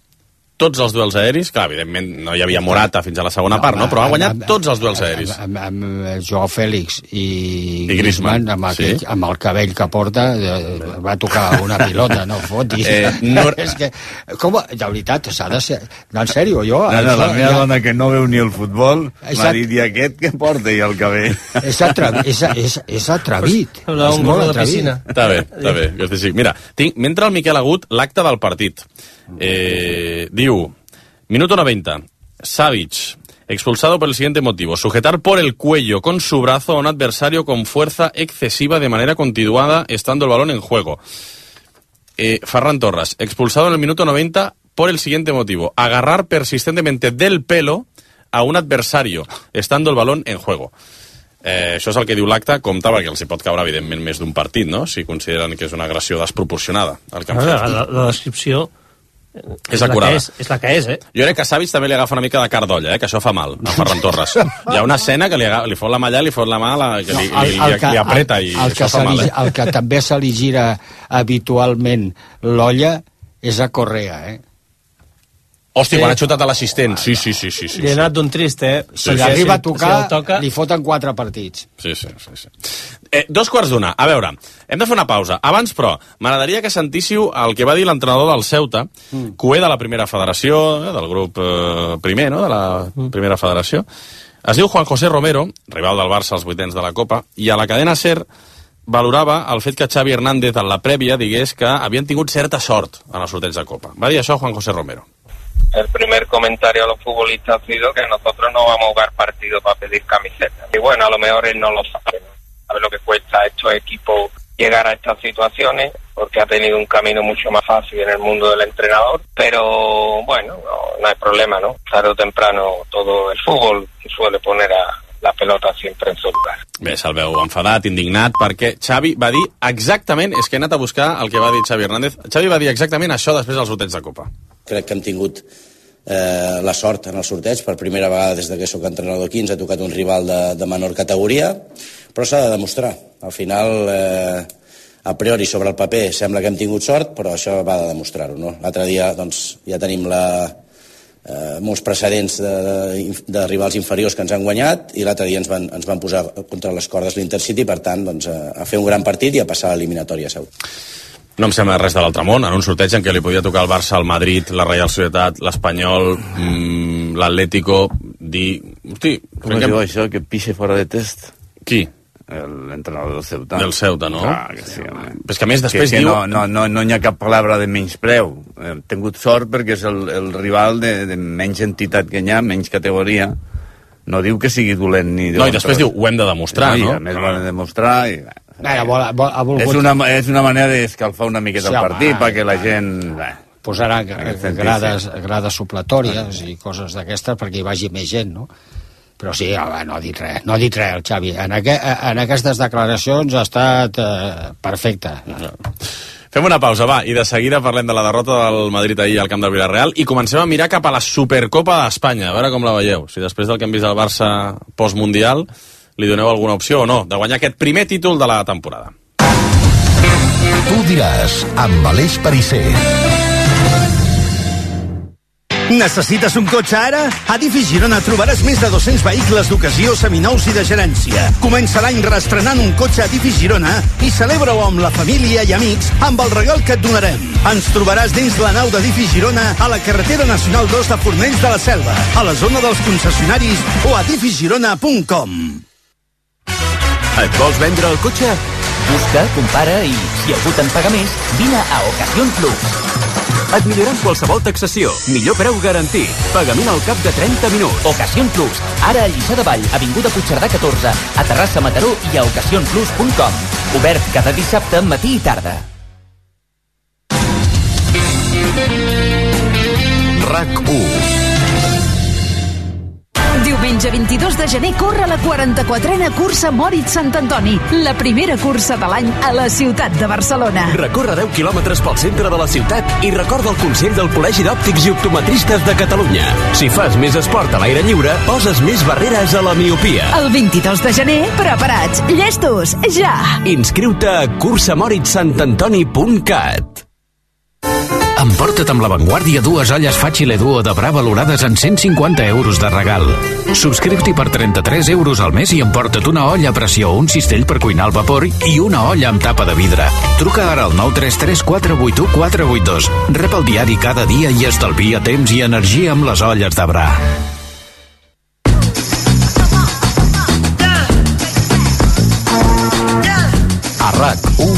Tots els duels aeris, clar, evidentment no hi havia Morata fins a la segona part, no? Però ha guanyat tots els duels aeris. Amb Joao Fèlix i Griezmann, amb el cabell que porta, va tocar una pilota, no fotis. És que, com, de veritat, s'ha de ser... No, en sèrio, jo... La meva dona, que no veu ni el futbol, m'ha dit, i aquest que porta i el cabell? És atrevit. Un gol de piscina. Està bé, que estic. Mira, mentre el Miquel Agut, l'acte del partit. Diu, minuto 90, Savic, expulsado por el siguiente motivo: sujetar por el cuello con su brazo a un adversario con fuerza excesiva de manera continuada estando el balón en juego. Ferran Torres, expulsado en el minuto 90 por el siguiente motivo: agarrar persistentemente del pelo a un adversario estando el balón en juego. Això és el que diu l'acte, compte perquè els hi pot caure evidentment més d'un partit, no? Si consideren que és una agressió desproporcionada el que han fet. La descripció és acurada. És la que és, Jo crec que a Savic també li agafa una mica de cardolla, que això fa mal, a Ferran Torres. Hi ha una escena que li fot la malla, li fot la mà, que li apreta, i això fa mal. El que també se li gira habitualment l'olla és a Correa, Hòstia, quan ha xutat a l'assistent. Sí. Li ha anat d'un trist, Si l'arriba a tocar, li foten 4 partits. Sí. 2:15. A veure, hem de fer una pausa. Abans, però, m'agradaria que sentíssiu el que va dir l'entrenador del Ceuta, cué de la primera federació, del grup primer, no?, de la primera federació. Es diu Juan José Romero, rival del Barça als 8ens de la Copa, i a la cadena SER valorava el fet que Xavi Hernández en la prèvia digués que havien tingut certa sort en el sorteig de Copa. Va dir això Juan José Romero. El primer comentario a los futbolistas ha sido que nosotros no vamos a jugar partido para pedir camisetas. Y bueno, a lo mejor él no lo sabe, ¿no? Sabe lo que cuesta a estos equipos llegar a estas situaciones, porque ha tenido un camino mucho más fácil en el mundo del entrenador, pero bueno, no hay problema, ¿no? Tarde o temprano todo el fútbol suele poner a la pelota sempre en su lugar. Bé, se'l veu enfadat, indignat, perquè Xavi va dir exactament, és que he anat a buscar el que va dir Xavi Hernández, Xavi va dir exactament això després dels sorteig de Copa. Crec que hem tingut la sort en el sorteig, per primera vegada des que soc entrenador aquí, ens ha tocat un rival de menor categoria, però s'ha de demostrar. Al final, a priori sobre el paper sembla que hem tingut sort, però això va de demostrar-ho, no? L'altre dia doncs, ja tenim molts precedents de rivals inferiors que ens han guanyat, i l'altre dia ens van posar contra les cordes l'Intercity, per tant, doncs, a fer un gran partit i a passar a l'eliminatòria, segur. No em sembla res de l'altre món, en un sorteig en què li podia tocar el Barça, el Madrid, la Real Societat, l'Espanyol, l'Atlético, dir... Hosti, com es diu això, que pixe fora de test? Qui? L'entrenador del Ceuta. Del Ceuta, no? Clar, que sí, home. Però és que a més després que diu... No hi ha cap paraula de menyspreu. Hem tingut sort perquè és el rival de menys entitat que hi ha, menys categoria. No diu que sigui dolent ni... No, i després diu, ho hem de demostrar, no? I a més ho hem de demostrar i... És una manera d'escalfar una miqueta el partit perquè la gent... Posarà grades supletòries i coses d'aquestes perquè hi vagi més gent, no? Però sí, no ha dit res, el Xavi. En aquestes declaracions ha estat perfecte. Fem una pausa, va, i de seguida parlem de la derrota del Madrid ahir al camp del Villarreal i comencem a mirar cap a la Supercopa d'Espanya, a veure com la veieu. Si després del que hem vist al Barça postmundial li doneu alguna opció o no de guanyar aquest primer títol de la temporada. Tu diràs, amb Aleix Perisser. Necessites un cotxe ara? A Difi Girona trobaràs més de 200 vehicles d'ocasió, seminous i de gerència. Comença l'any reestrenant un cotxe a Difi Girona i celebra-ho amb la família i amics amb el regal que et donarem. Ens trobaràs dins la nau de Difi Girona a la carretera nacional 2 de Fornells de la Selva, a la zona dels concessionaris o a difigirona.com. Et vols vendre el cotxe? Busca, compara i, si algú te'n paga més, vine a Ocasión Plus. Et milloraran qualsevol taxació. Millor preu garantit. Pagament al cap de 30 minuts. Ocasión Plus. Ara a Lliçà de Vall, avinguda Puigcerdà 14, a Terrassa, Mataró i a ocasionplus.com. Obert cada dissabte, matí i tarda. RAC1. Diumenge 22 de gener corre la 44a cursa Moritz Sant Antoni, la primera cursa de l'any a la ciutat de Barcelona. Recorre 10 quilòmetres pel centre de la ciutat i recorda el Consell del Col·legi d'Òptics i Optometristes de Catalunya. Si fas més esport a l'aire lliure, poses més barreres a la miopia. El 22 de gener, preparats, llestos, ja! Inscriu-te a cursamoritzsantantoni.cat. Emporta't amb La Vanguardia dues olles Facile Duo de Bra valorades en 150 euros de regal. Subscriu-t'hi per 33 euros al mes i emporta't una olla a pressió, un cistell per cuinar al vapor i una olla amb tapa de vidre. Truca ara al 933 481 482. Rep el diari cada dia i estalvia temps i energia amb les olles de Bra. A RAC1,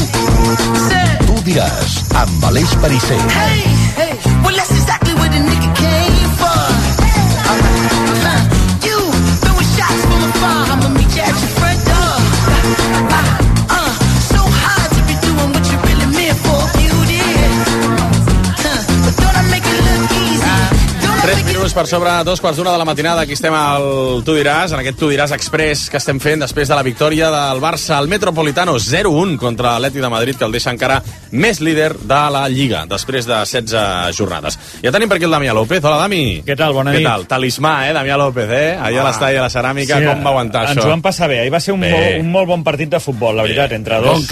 tu diràs, amb Aleix Perisser. Hey, hey, well that's exactly where the nigga came from. You throwing shots from afar, I'ma meet you at your front door. So hard to be doing what you really meant for. You did, but don't I make it look easy? 3 minuts per sobre 2:15 de la matinada. Aquí estem al Tu diràs, en aquest Tu diràs express que estem fent després de la victòria del Barça al Metropolitano 0-1 contra l'Atlètic de Madrid, que el deixa encara més líder de la Lliga després de 16 jornades. Ja tenim per aquí el Damià López. Hola, Dami. Què tal? Bona nit. Què tal? Talismà, Damià López, Allà a l'estadi de la Ceràmica, sí, com va aguantar això? Ens ho vam passar bé. Ahir va ser un molt bon partit de futbol, la veritat, entre dos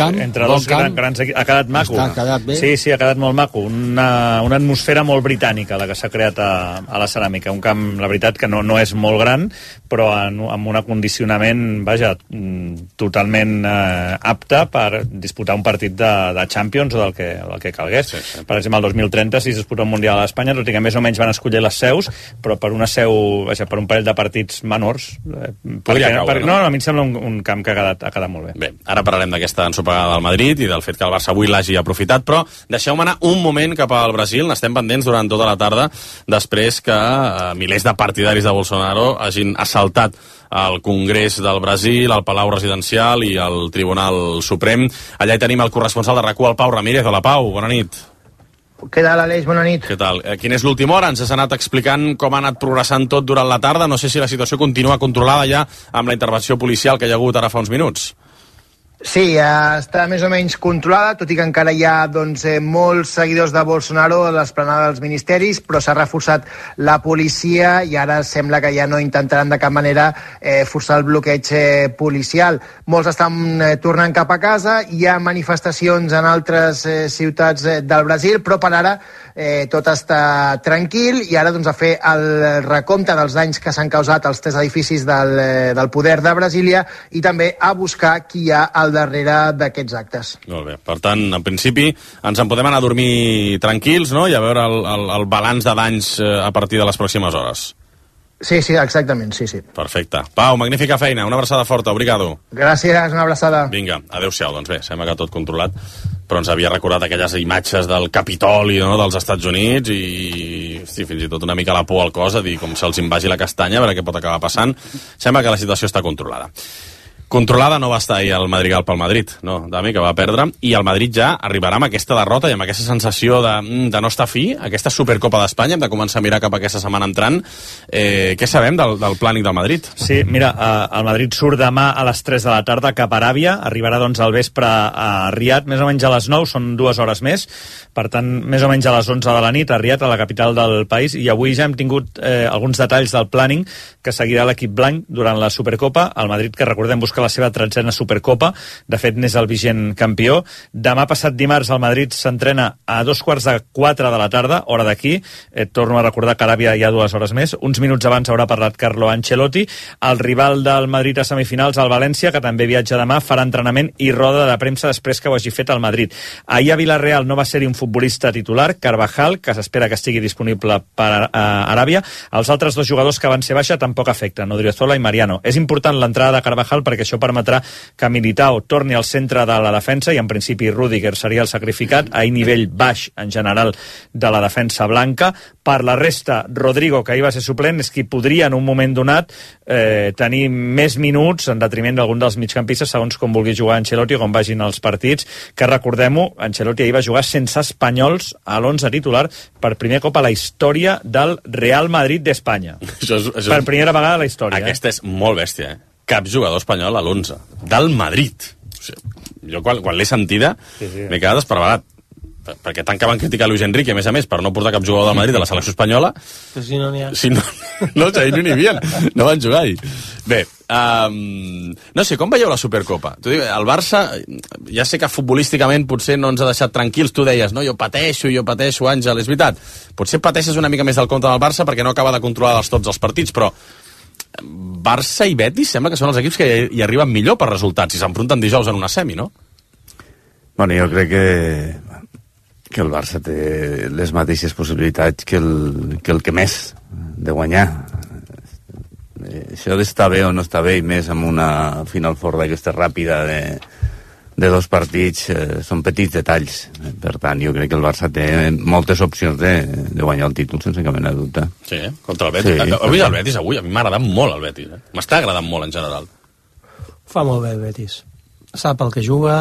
grans equips. Ha quedat maco. Ha quedat bé. Sí, ha quedat molt maco. Una atmosfera molt britànica, la que s'ha creat a la Ceràmica. ceràmica, un camp, la veritat, que no és molt gran, però amb un acondicionament, vaja, totalment apte per disputar un partit de Champions o del que calgués. Sí. Per exemple, el 2030, si es disputa un Mundial a Espanya, tot i que més o menys van escollir les seus, però per una seu, vaja, per un parell de partits menors. No, a mi em sembla un camp que ha quedat molt bé. Bé, ara parlarem d'aquesta ensopegada del Madrid i del fet que el Barça avui l'hagi aprofitat, però deixeu-me anar un moment cap al Brasil. N'estem pendents durant tota la tarda, després que milers de partidaris de Bolsonaro hagin assaltat el Congrés del Brasil, el Palau Residencial i el Tribunal Suprem. Allà hi tenim el corresponsal de RAC1, el Pau Ramírez. Hola, Pau, bona nit. Què tal, Aleix? Bona nit. Què tal? Quina és l'última hora? Ens has anat explicant com ha anat progressant tot durant la tarda. No sé si la situació continua controlada ja amb la intervenció policial que hi ha hagut ara fa uns minuts. Sí, està més o menys controlada, tot i que encara hi ha molts seguidors de Bolsonaro a l'esplanada dels ministeris, però s'ha reforçat la policia i ara sembla que ja no intentaran de cap manera forçar el bloqueig policial. Molts estan tornant cap a casa, hi ha manifestacions en altres ciutats del Brasil, però per ara tot està tranquil i ara a fer el recompte dels danys que s'han causat als 3 edificis del poder de Brasília i també a buscar qui hi ha al darrere d'aquests actes. Molt bé. Per tant, en principi, ens en podem anar a dormir tranquils, no?, i a veure el balanç de danys a partir de les pròximes hores. Sí, exactament, sí. Perfecte. Pau, magnífica feina, una abraçada forta, obrigado. Gràcies, una abraçada. Vinga, adeu-siau, doncs bé, sembla que tot controlat, però ens havia recordat aquelles imatges del Capitoli, no?, dels Estats Units i fins i tot una mica la por al cos, a dir, com se'ls invagi la castanya, a veure què pot acabar passant. Sembla que la situació està controlada. Controlada no va estar ahir el Madrigal pel Madrid, no, Dami, que va perdre, i el Madrid ja arribarà amb aquesta derrota i amb aquesta sensació de no estar fi, aquesta Supercopa d'Espanya, hem de començar a mirar cap a aquesta setmana entrant. Què sabem del plànic del Madrid? Sí, mira, el Madrid surt demà a les 3 de la tarda cap a Aràbia, arribarà doncs al vespre a Riad, més o menys a les 9, són 2 hores més, per tant, més o menys a les 11 de la nit a Riad, a la capital del país, i avui ja hem tingut alguns detalls del plàning que seguirà l'equip blanc durant la Supercopa. El Madrid, que recordem, busca la seva 13a Supercopa, de fet n'és el vigent campió. Demà passat dimarts el Madrid s'entrena a 3:45 de la tarda, hora d'aquí, torno a recordar que a Aràbia hi ha 2 hores més, uns minuts abans haurà parlat Carlo Ancelotti. El rival del Madrid a semifinals, el València, que també viatja demà, farà entrenament i roda de premsa després que ho hagi fet el Madrid. Ahir a Villarreal no va ser-hi un futbolista titular, Carvajal, que s'espera que estigui disponible per Aràbia. Els altres 2 jugadors que van ser baixa tampoc afecten, Odriozola i Mariano. És important l'entrada de Carvajal perquè això permetrà que Militao torni al centre de la defensa i en principi Rüdiger seria el sacrificat. Ahir nivell baix en general de la defensa blanca. Per la resta, Rodrigo, que ahir va ser suplent, és qui podria en un moment donat tenir més minuts en detriment d'algun dels migcampistes, segons com vulgui jugar Ancelotti o com vagin els partits, que recordem-ho, Ancelotti ahir va jugar sense espanyols a l'11 titular per primer cop a la història del Real Madrid d'Espanya. Per primera vegada a la història. Aquesta és molt bèstia, Cap jugador espanyol a l'11 del Madrid. O sigui, jo quan l'he sentida m'he quedat esparverat, perquè tant que van criticar Luis Enrique, a més, per no portar cap jugador del Madrid a la selecció espanyola. Però si no n'hi ha. Si no, ahir no n'hi havia, no van jugar ahir. Bé, no sé, com veieu la Supercopa? El Barça, ja sé que futbolísticament potser no ens ha deixat tranquils, tu deies, no, jo pateixo, Àngel, és veritat. Potser pateixes una mica més del compte del Barça perquè no acaba de controlar tots els partits, però Barça i Betis sembla que són els equips que hi arriben millor per resultats si s'enfronten dijous en una semi, no? Bueno, jo crec que el Barça té les mateixes possibilitats que el que més de guanyar. Això d'estar bé o no estar bé, i més amb una Final Four d'aquesta ràpida de 2 partits, són petits detalls. Per tant, jo crec que el Barça té moltes opcions de guanyar el títol sense cap mena de dubte. Sí, contra el Betis. Sí. El Betis avui, a mi m'ha agradat molt el Betis. M'està agradant molt en general. Fa molt bé el Betis. Sap el que juga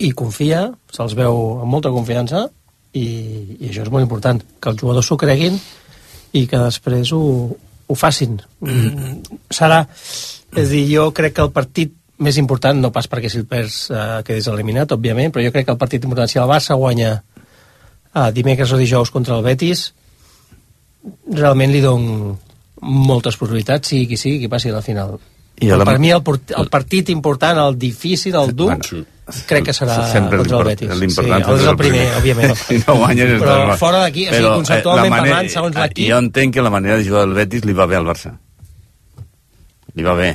i confia, se'ls veu amb molta confiança i això és molt important, que els jugadors s'ho creguin i que després ho facin. Serà, és a dir, jo crec que el partit més important, no pas perquè si el perds quedés eliminat, òbviament, però jo crec que el partit important, si el Barça guanya dimecres o dijous contra el Betis, realment li dono moltes possibilitats, sigui qui passi a la final. Per mi el partit important, el difícil, el dur, crec que serà contra el Betis. L'important és el primer, òbviament. Si no guanyes, però fora d'aquí, conceptualment parlant, segons l'equip... Jo entenc que la manera de jugar del Betis li va bé al Barça. Li va bé.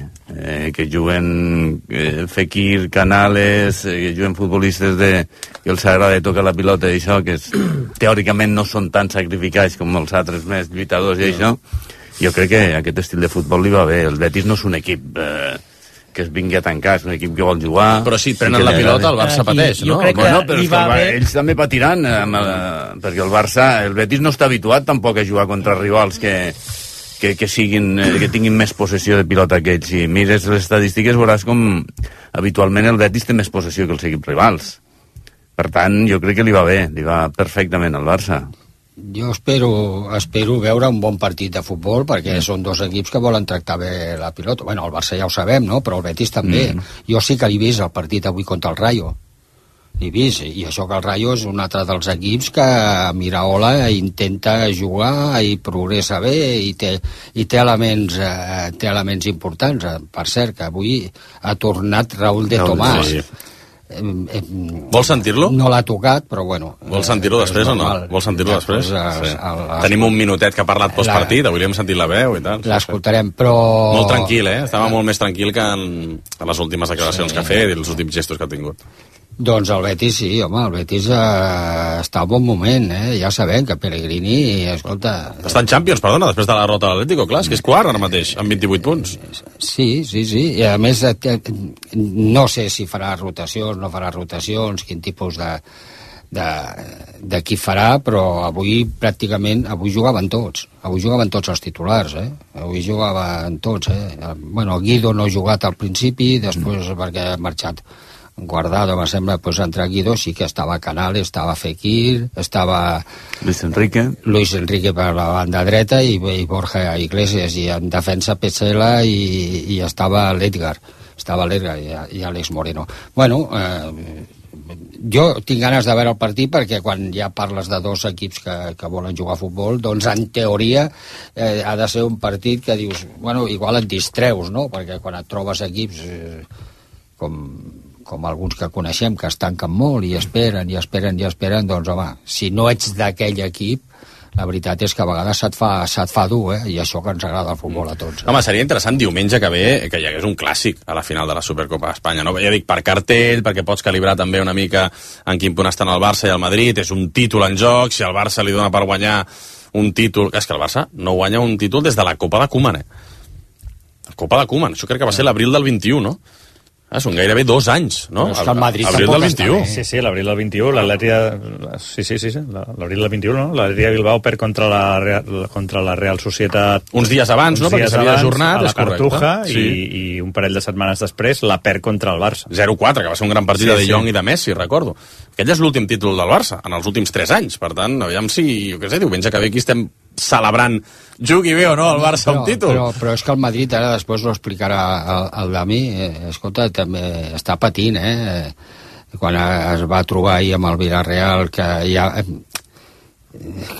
Que juguen Fekir, Canales, que juguen futbolistes que els agrada tocar la pilota i això, que teòricament no són tan sacrificats com els altres més lluitadors i això. Jo crec que aquest estil de futbol li va bé. El Betis no és un equip que es vingui a tancar, és un equip que vol jugar... Però si prenen la pilota, el Barça pateix, no? Bueno, però ells també patiran, perquè el Betis no està habituat tampoc a jugar contra rivals que tinguin més possessió de pilota que ells. Si mires les estadístiques veuràs com habitualment el Betis té més possessió que els equips rivals. Per tant, jo crec que li va bé, li va perfectament al Barça. Jo espero veure un bon partit de futbol, perquè són dos equips que volen tractar bé la pilota. Bueno, el Barça ja ho sabem, no? Però el Betis també. Jo sí que l'he vist el partit avui contra el Rayo. L'he vist, i això que el Rayo és un altre dels equips que Miraola intenta jugar i progressa bé i té elements importants. Per cert, que avui ha tornat Raúl de Tomàs. Sí. Vols sentir-lo? No l'ha tocat, però bueno. Vols sentir-lo després o no? Vols sentir-lo després? Tenim un minutet que ha parlat postpartit, avui li hem sentit la veu i tal. L'escoltarem, però... Molt tranquil, Estava molt més tranquil que en les últimes declaracions que ha fet i els últims gestos que ha tingut. Doncs el Betis sí, home, el Betis està a bon moment, ja sabem que Pellegrini, escolta... Està en Champions, perdona, després de la derrota de l'Atlético, clar, és que és quart ara mateix, amb 28 punts. Sí, i a més no sé si farà rotacions, no farà rotacions, quin tipus d'equip farà, però avui jugaven tots els titulars, avui jugaven tots, Bueno, Guido no ha jugat al principi, després perquè ha marxat Guardado, me sembla, pues entre Guido sí que estava Canales, estava Fekir, estava Luis Enrique per la banda dreta i Borja Iglesias, i en defensa Petzela i estava l'Edgar i Àlex Moreno. Bueno, jo tinc ganes de veure el partit perquè quan ja parles de dos equips que volen jugar a futbol, doncs en teoria ha de ser un partit que dius, bueno, igual et distreus, no? Perquè quan et trobes equips com alguns que coneixem, que es tanquen molt i esperen, doncs home, si no ets d'aquell equip, la veritat és que a vegades se't fa dur, i això que ens agrada el futbol a tots. Home, seria interessant diumenge que ve que hi hagués un clàssic a la final de la Supercopa d'Espanya, no? Ja dic, per cartell, perquè pots calibrar també una mica en quin punt estan el Barça i el Madrid, és un títol en joc, si el Barça li dona per guanyar un títol... És que el Barça no guanya un títol des de la Copa de Koeman, La Copa de Koeman, això crec que va ser l'abril del 21, no? Són gairebé 2 anys, no? Però és que el Madrid abril del 21. Sí, l'abril del 21, l'Atleti... Sí, l'abril del 21, no? L'Atleti de Bilbao perd contra la Real Societat... Uns dies abans, no? Perquè s'havia ajornat, és correcte. A la Cartuja, i un parell de setmanes després la perd contra el Barça. 0-4, que va ser un gran partit de Jong i de Messi, recordo. Aquell és l'últim títol del Barça, en els últims 3 anys. Per tant, aviam si, jo què sé, diumenge que ve aquí estem celebrant, jugui bé o no el Barça un títol. Però és que el Madrid, ara després ho explicarà el Dami, escolta, també està patint, quan es va trobar ahir amb el Villarreal, que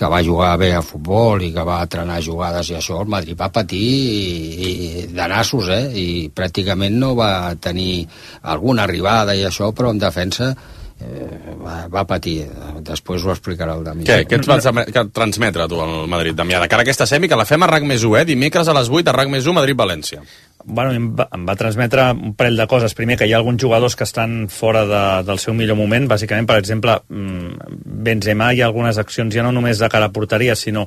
va jugar bé a futbol i que va entrenar jugades i això, el Madrid va patir de nassos, i pràcticament no va tenir alguna arribada i això, però en defensa va patir. Després ho explicarà el Dami. Què ets vas transmetre tu al Madrid, Damià? De cara a aquesta semi, que la fem a RAC+1, dimecres a les 8 a RAC+1, Madrid-València. Bueno, em va transmetre un parell de coses. Primer, que hi ha alguns jugadors que estan fora del seu millor moment. Bàsicament, per exemple, Benzema, hi ha algunes accions ja no només de cara a porteria, sinó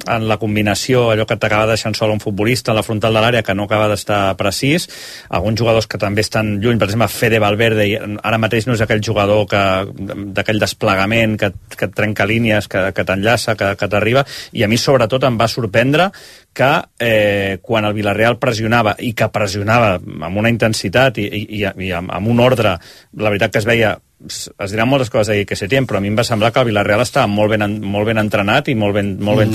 en la combinació, allò que t'acaba deixant sol un futbolista en la frontal de l'àrea, que no acaba d'estar precís. Alguns jugadors que també estan lluny, per exemple, Fede Valverde, ara mateix no és aquell jugador d'aquell desplegament que et trenca línies, que t'enllaça, que t'arriba, i a mi sobretot em va sorprendre que quan el Villarreal pressionava, i que pressionava amb una intensitat i amb un ordre, la veritat que es veia es diran moltes coses d'aquí que Setién, però a mi em va semblar que el Villarreal estava molt ben entrenat i molt ben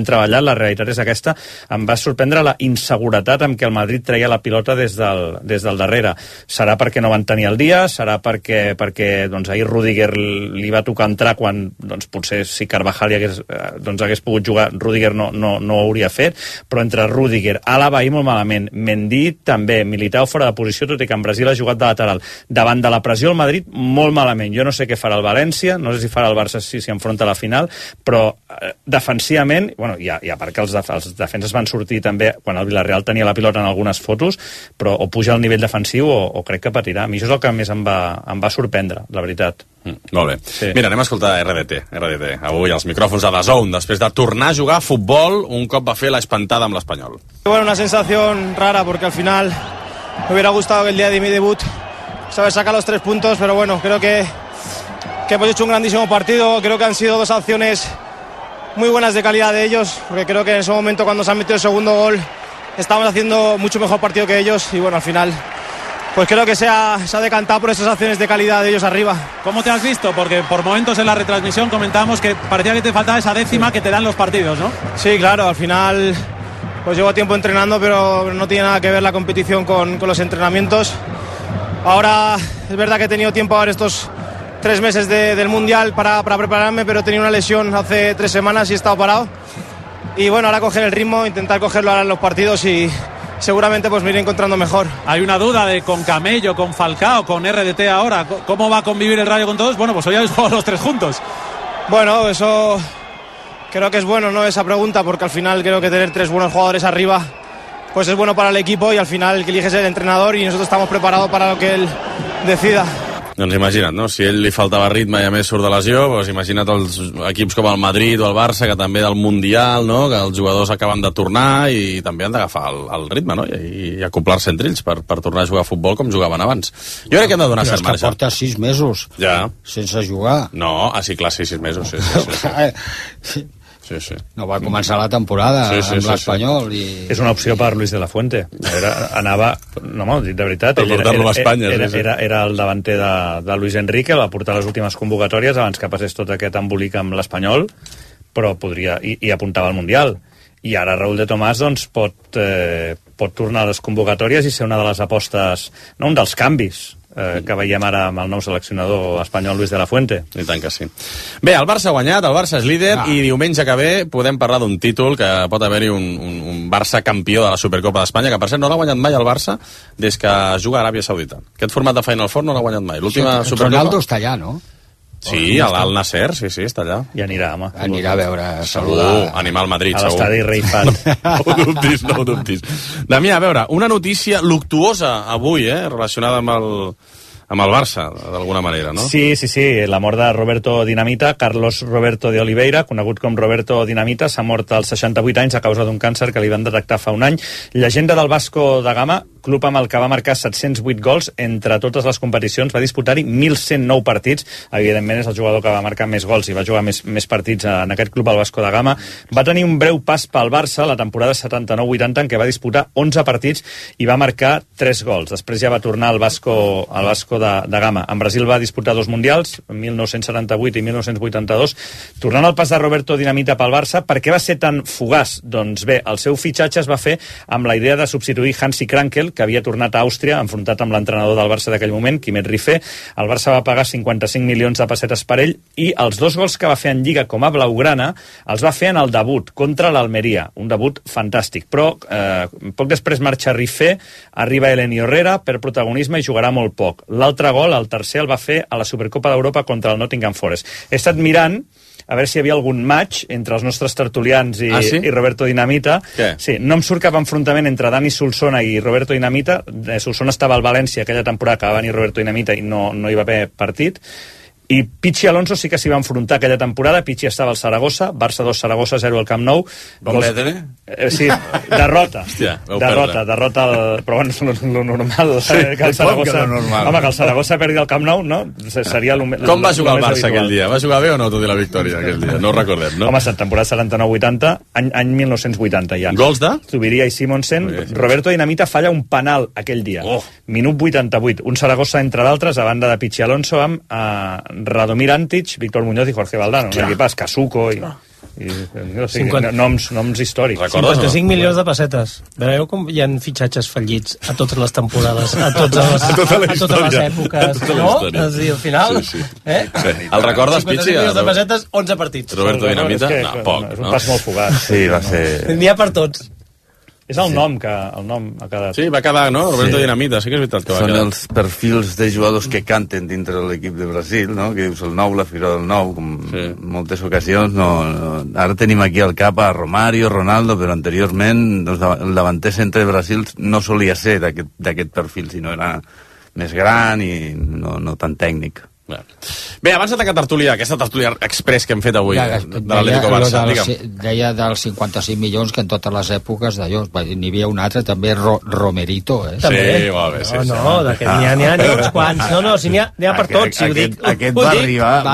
treballat. La realitat és aquesta. Em va sorprendre la inseguretat amb què el Madrid treia la pilota des del darrere. Serà perquè no van tenir el dia, serà perquè doncs, ahir Rüdiger li va tocar entrar quan doncs, potser si Carvajal hagués pogut jugar, Rüdiger no ho hauria fet, però entre Rüdiger, Alaba ahir molt malament, Mendy també, Militao fora de posició, tot i que en Brasil ha jugat de lateral. Davant de la pressió el Madrid molt malament. Jo no sé què farà el València, no sé si farà el Barça si enfronta a la final, però defensivament, bueno, ja perquè els defenses van sortir també quan el Villarreal tenia la pilota en algunes fotos, però o puja al nivell defensiu o crec que patirà. A mi això és el que més em va sorprendre, la veritat. Molt bé. Sí. Mira, anem a escoltar RDT. Avui els micròfons a DAZN, després de tornar a jugar a futbol, un cop va fer l'espantada amb l'Espanyol. Bueno, una sensación rara porque al final me hubiera gustado que el día de mi debut saber sacar los 3 puntos, pero bueno, creo que hemos hecho un grandísimo partido. Creo que han sido 2 acciones muy buenas de calidad de ellos, porque creo que en ese momento cuando se han metido el segundo gol estábamos haciendo mucho mejor partido que ellos y bueno, al final pues creo que se ha decantado por esas acciones de calidad de ellos arriba. ¿Cómo te has visto? Porque por momentos en la retransmisión comentábamos que parecía que te faltaba esa décima que te dan los partidos, ¿no? Sí, claro, al final pues llevo tiempo entrenando, pero no tiene nada que ver la competición con los entrenamientos. Ahora es verdad que he tenido tiempo ahora estos 3 meses del Mundial para prepararme, pero he tenido una lesión hace 3 semanas y he estado parado. Y bueno, ahora coger el ritmo, intentar cogerlo ahora en los partidos y seguramente pues me iré encontrando mejor. Hay una duda de con Camello, con Falcao, con RDT ahora. ¿Cómo va a convivir el Rayo con todos? Bueno, pues hoy habéis jugado los 3 juntos. Bueno, eso creo que es bueno, ¿no? Esa pregunta, porque al final creo que tener 3 buenos jugadores arriba pues es bueno para el equipo y al final el que elige es el entrenador y nosotros estamos preparados para lo que él decida. Doncs imagina't, no? Si a ell li faltava ritme i a més surt de lesió, doncs imagina't els equips com el Madrid o el Barça, que també del Mundial, no? Que els jugadors acaben de tornar i també han d'agafar el ritme, no? I acoplar-se entre ells per tornar a jugar a futbol com jugaven abans. Jo crec que hem de donar cert marge. Però és que porta 6 mesos sense jugar. No, sí, clar, 6 mesos, sí. Sí. No va començar la temporada amb l'Espanyol. I... És una opció per Luis de la Fuente. Anava, no, de veritat, per portar-lo a Espanya. Era el davanter de Luis Enrique, el va portar a les últimes convocatòries abans que passés tot aquest embolic amb l'Espanyol, però podria, i apuntava al Mundial. I ara Raúl de Tomàs doncs, pot tornar a les convocatòries i ser una de les apostes, no, un dels canvis que veiem ara amb el nou seleccionador espanyol Luis de la Fuente. I tant que sí. Bé, el Barça ha guanyat, el Barça és líder i diumenge que ve podem parlar d'un títol que pot haver-hi un Barça campió de la Supercopa d'Espanya, que per cert no l'ha guanyat mai el Barça des que juga a Aràbia Saudita. Aquest format de Final Four no l'ha guanyat mai. L'última Supercopa... Ronaldo està allà, no? Sí, al Nasser, sí, està allà. I anirà, home. Anirà a veure, a segur, animar al Madrid, segur. A l'estadi Rei Fat. No ho dubtis. Damià, a veure, una notícia luctuosa avui, relacionada amb el Barça, d'alguna manera, no? Sí, la mort de Roberto Dinamita, Carlos Roberto de Oliveira, conegut com Roberto Dinamita, s'ha mort als 68 anys a causa d'un càncer que li van detectar fa un any. Llegenda del Vasco da Gama, club amb el que va marcar 708 gols entre totes les competicions, va disputar-hi 1.109 partits, evidentment és el jugador que va marcar més gols i va jugar més partits en aquest club, el Vasco da Gama. Va tenir un breu pas pel Barça la temporada 79-80 en què va disputar 11 partits i va marcar 3 gols. Després ja va tornar al Vasco da Gama. En Brasil va disputar 2 mundials, 1978 i 1982. Tornant al pas de Roberto Dinamita pel Barça, per què va ser tan fugaç? Doncs bé, el seu fitxatge es va fer amb la idea de substituir Hansi Krankel, que havia tornat a Àustria, enfrontat amb l'entrenador del Barça d'aquell moment, Quimet Rifé. El Barça va pagar 55 milions de pessetes per ell i els 2 gols que va fer en Lliga com a blaugrana els va fer en el debut contra l'Almeria, un debut fantàstic. Però poc després marxa Rifé, arriba Elenio Herrera per protagonisme i jugarà molt poc. L'altre gol, el tercer, el va fer a la Supercopa d'Europa contra el Nottingham Forest. He estat mirant a veure si hi havia algun match entre els nostres tertulians i Roberto Dinamita. Què? Sí, no em surt cap enfrontament entre Dani Solsona i Roberto Dinamita. Solsona estava al València aquella temporada que va venir Roberto Dinamita i no hi va haver partit. I Pichi Alonso sí que s'hi va enfrontar aquella temporada. Pichi estava al Saragossa, Barça 2, Saragossa 0 al Camp Nou. Vam perdre? Sí, derrota. Hòstia, derrota però bueno, és lo normal. Sí, que el Saragossa, normal. home, que el Saragossa perdi el Camp Nou, no? Seria Com va jugar el Barça aquell dia? Va jugar bé o no, tot i la victòria aquell dia? No ho recordem, no? Home, temporada 79-80, any 1980 ja. Gols de? Zubiria i Simonsen. Roberto Dinamita falla un penal aquell dia. Minut 88. Un Saragossa, entre d'altres, a banda de Pichi Alonso, amb Radomir Antic, Víctor Muñoz i Jorge Valdano. Un equipàs, Casuco i noms històrics. 55 milions de pessetes. Veieu com hi ha fitxatges fallits a totes les temporades, a totes les èpoques, no? Al final, El recordes, Pichi? 55 milions de pessetes, 11 partits. Roberto Dinamita? No, poc, és un pas molt fugat. Sí, va ser... N'hi ha per tots. És el nom que el nom ha quedat. Sí, va quedar, no? Roberto Dinamita, sí que és veritat que va Són quedar. els perfils de jugadors que canten dintre de l'equip de Brasil, no? Que dius el nou, la figura del nou, com en moltes ocasions. No. Ara tenim aquí al cap a Romario, Ronaldo, però anteriorment doncs, el davanter centre de Brasil no solia ser d'aquest perfil, sinó era més gran i no tan tècnic. Bé, abans de tancar aquesta tertúlia express que hem fet avui de l'Atlético Barça, deia dels 55 milions que en totes les èpoques d'allò, n'hi havia un altre també, Romerito, Sí, molt bé, sí. No, n'hi ha uns quants. No, si n'hi ha per tots, si ho dic. Aquest va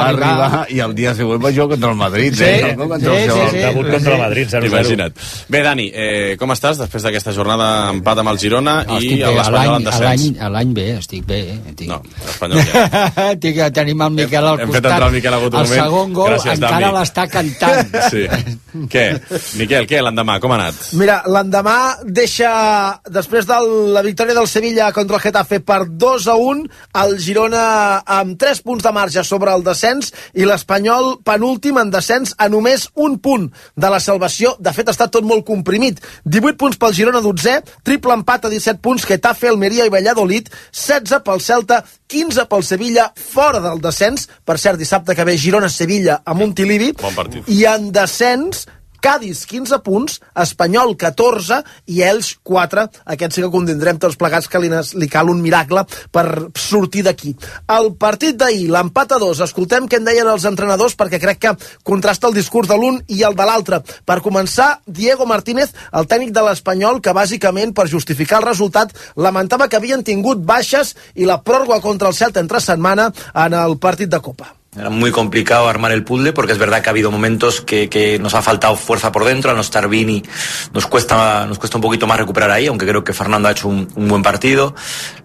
arribar i el dia següent va jugar contra el Madrid. Debut contra el Madrid, 0-0. Imagina't. Bé, Dani, com estàs després d'aquesta jornada empat amb el Girona i l'Espanyol en descens? L'any bé, estic bé. No, l'Espanyol ja. Tenim el Miquel al costat. Hem fet entrar el Miquel a un moment. El segon gol encara l'està cantant. Sí. Què? Miquel, l'endemà? Com ha anat? Mira, l'endemà deixa, després de la victòria del Sevilla contra el Getafe per 2-1, el Girona amb 3 punts de marge sobre el descens i l'Espanyol penúltim en descens a només un punt de la salvació. De fet, està tot molt comprimit. 18 punts pel Girona, 12è, triple empat a 17 punts, Getafe, Almeria i Valladolid, 16 pel Celta, 15 pel Sevilla, fora del descens. Per cert, dissabte que ve Girona-Sevilla a Montilivi. Bon partit. I en descens, Cádiz 15 punts, Espanyol 14 i Elx 4. Aquest sí que convindrem tots plegats que li cal un miracle per sortir d'aquí. El partit d'ahir, l'empat a 2, escoltem què en deien els entrenadors perquè crec que contrasta el discurs de l'un i el de l'altre. Per començar, Diego Martínez, el tècnic de l'Espanyol, que bàsicament per justificar el resultat lamentava que havien tingut baixes i la pròrroga contra el Celta entre setmana en el partit de Copa. Era muy complicado armar el puzzle porque es verdad que ha habido momentos que nos ha faltado fuerza por dentro. Al no estar Vini nos cuesta un poquito más recuperar ahí, aunque creo que Fernando ha hecho un buen partido.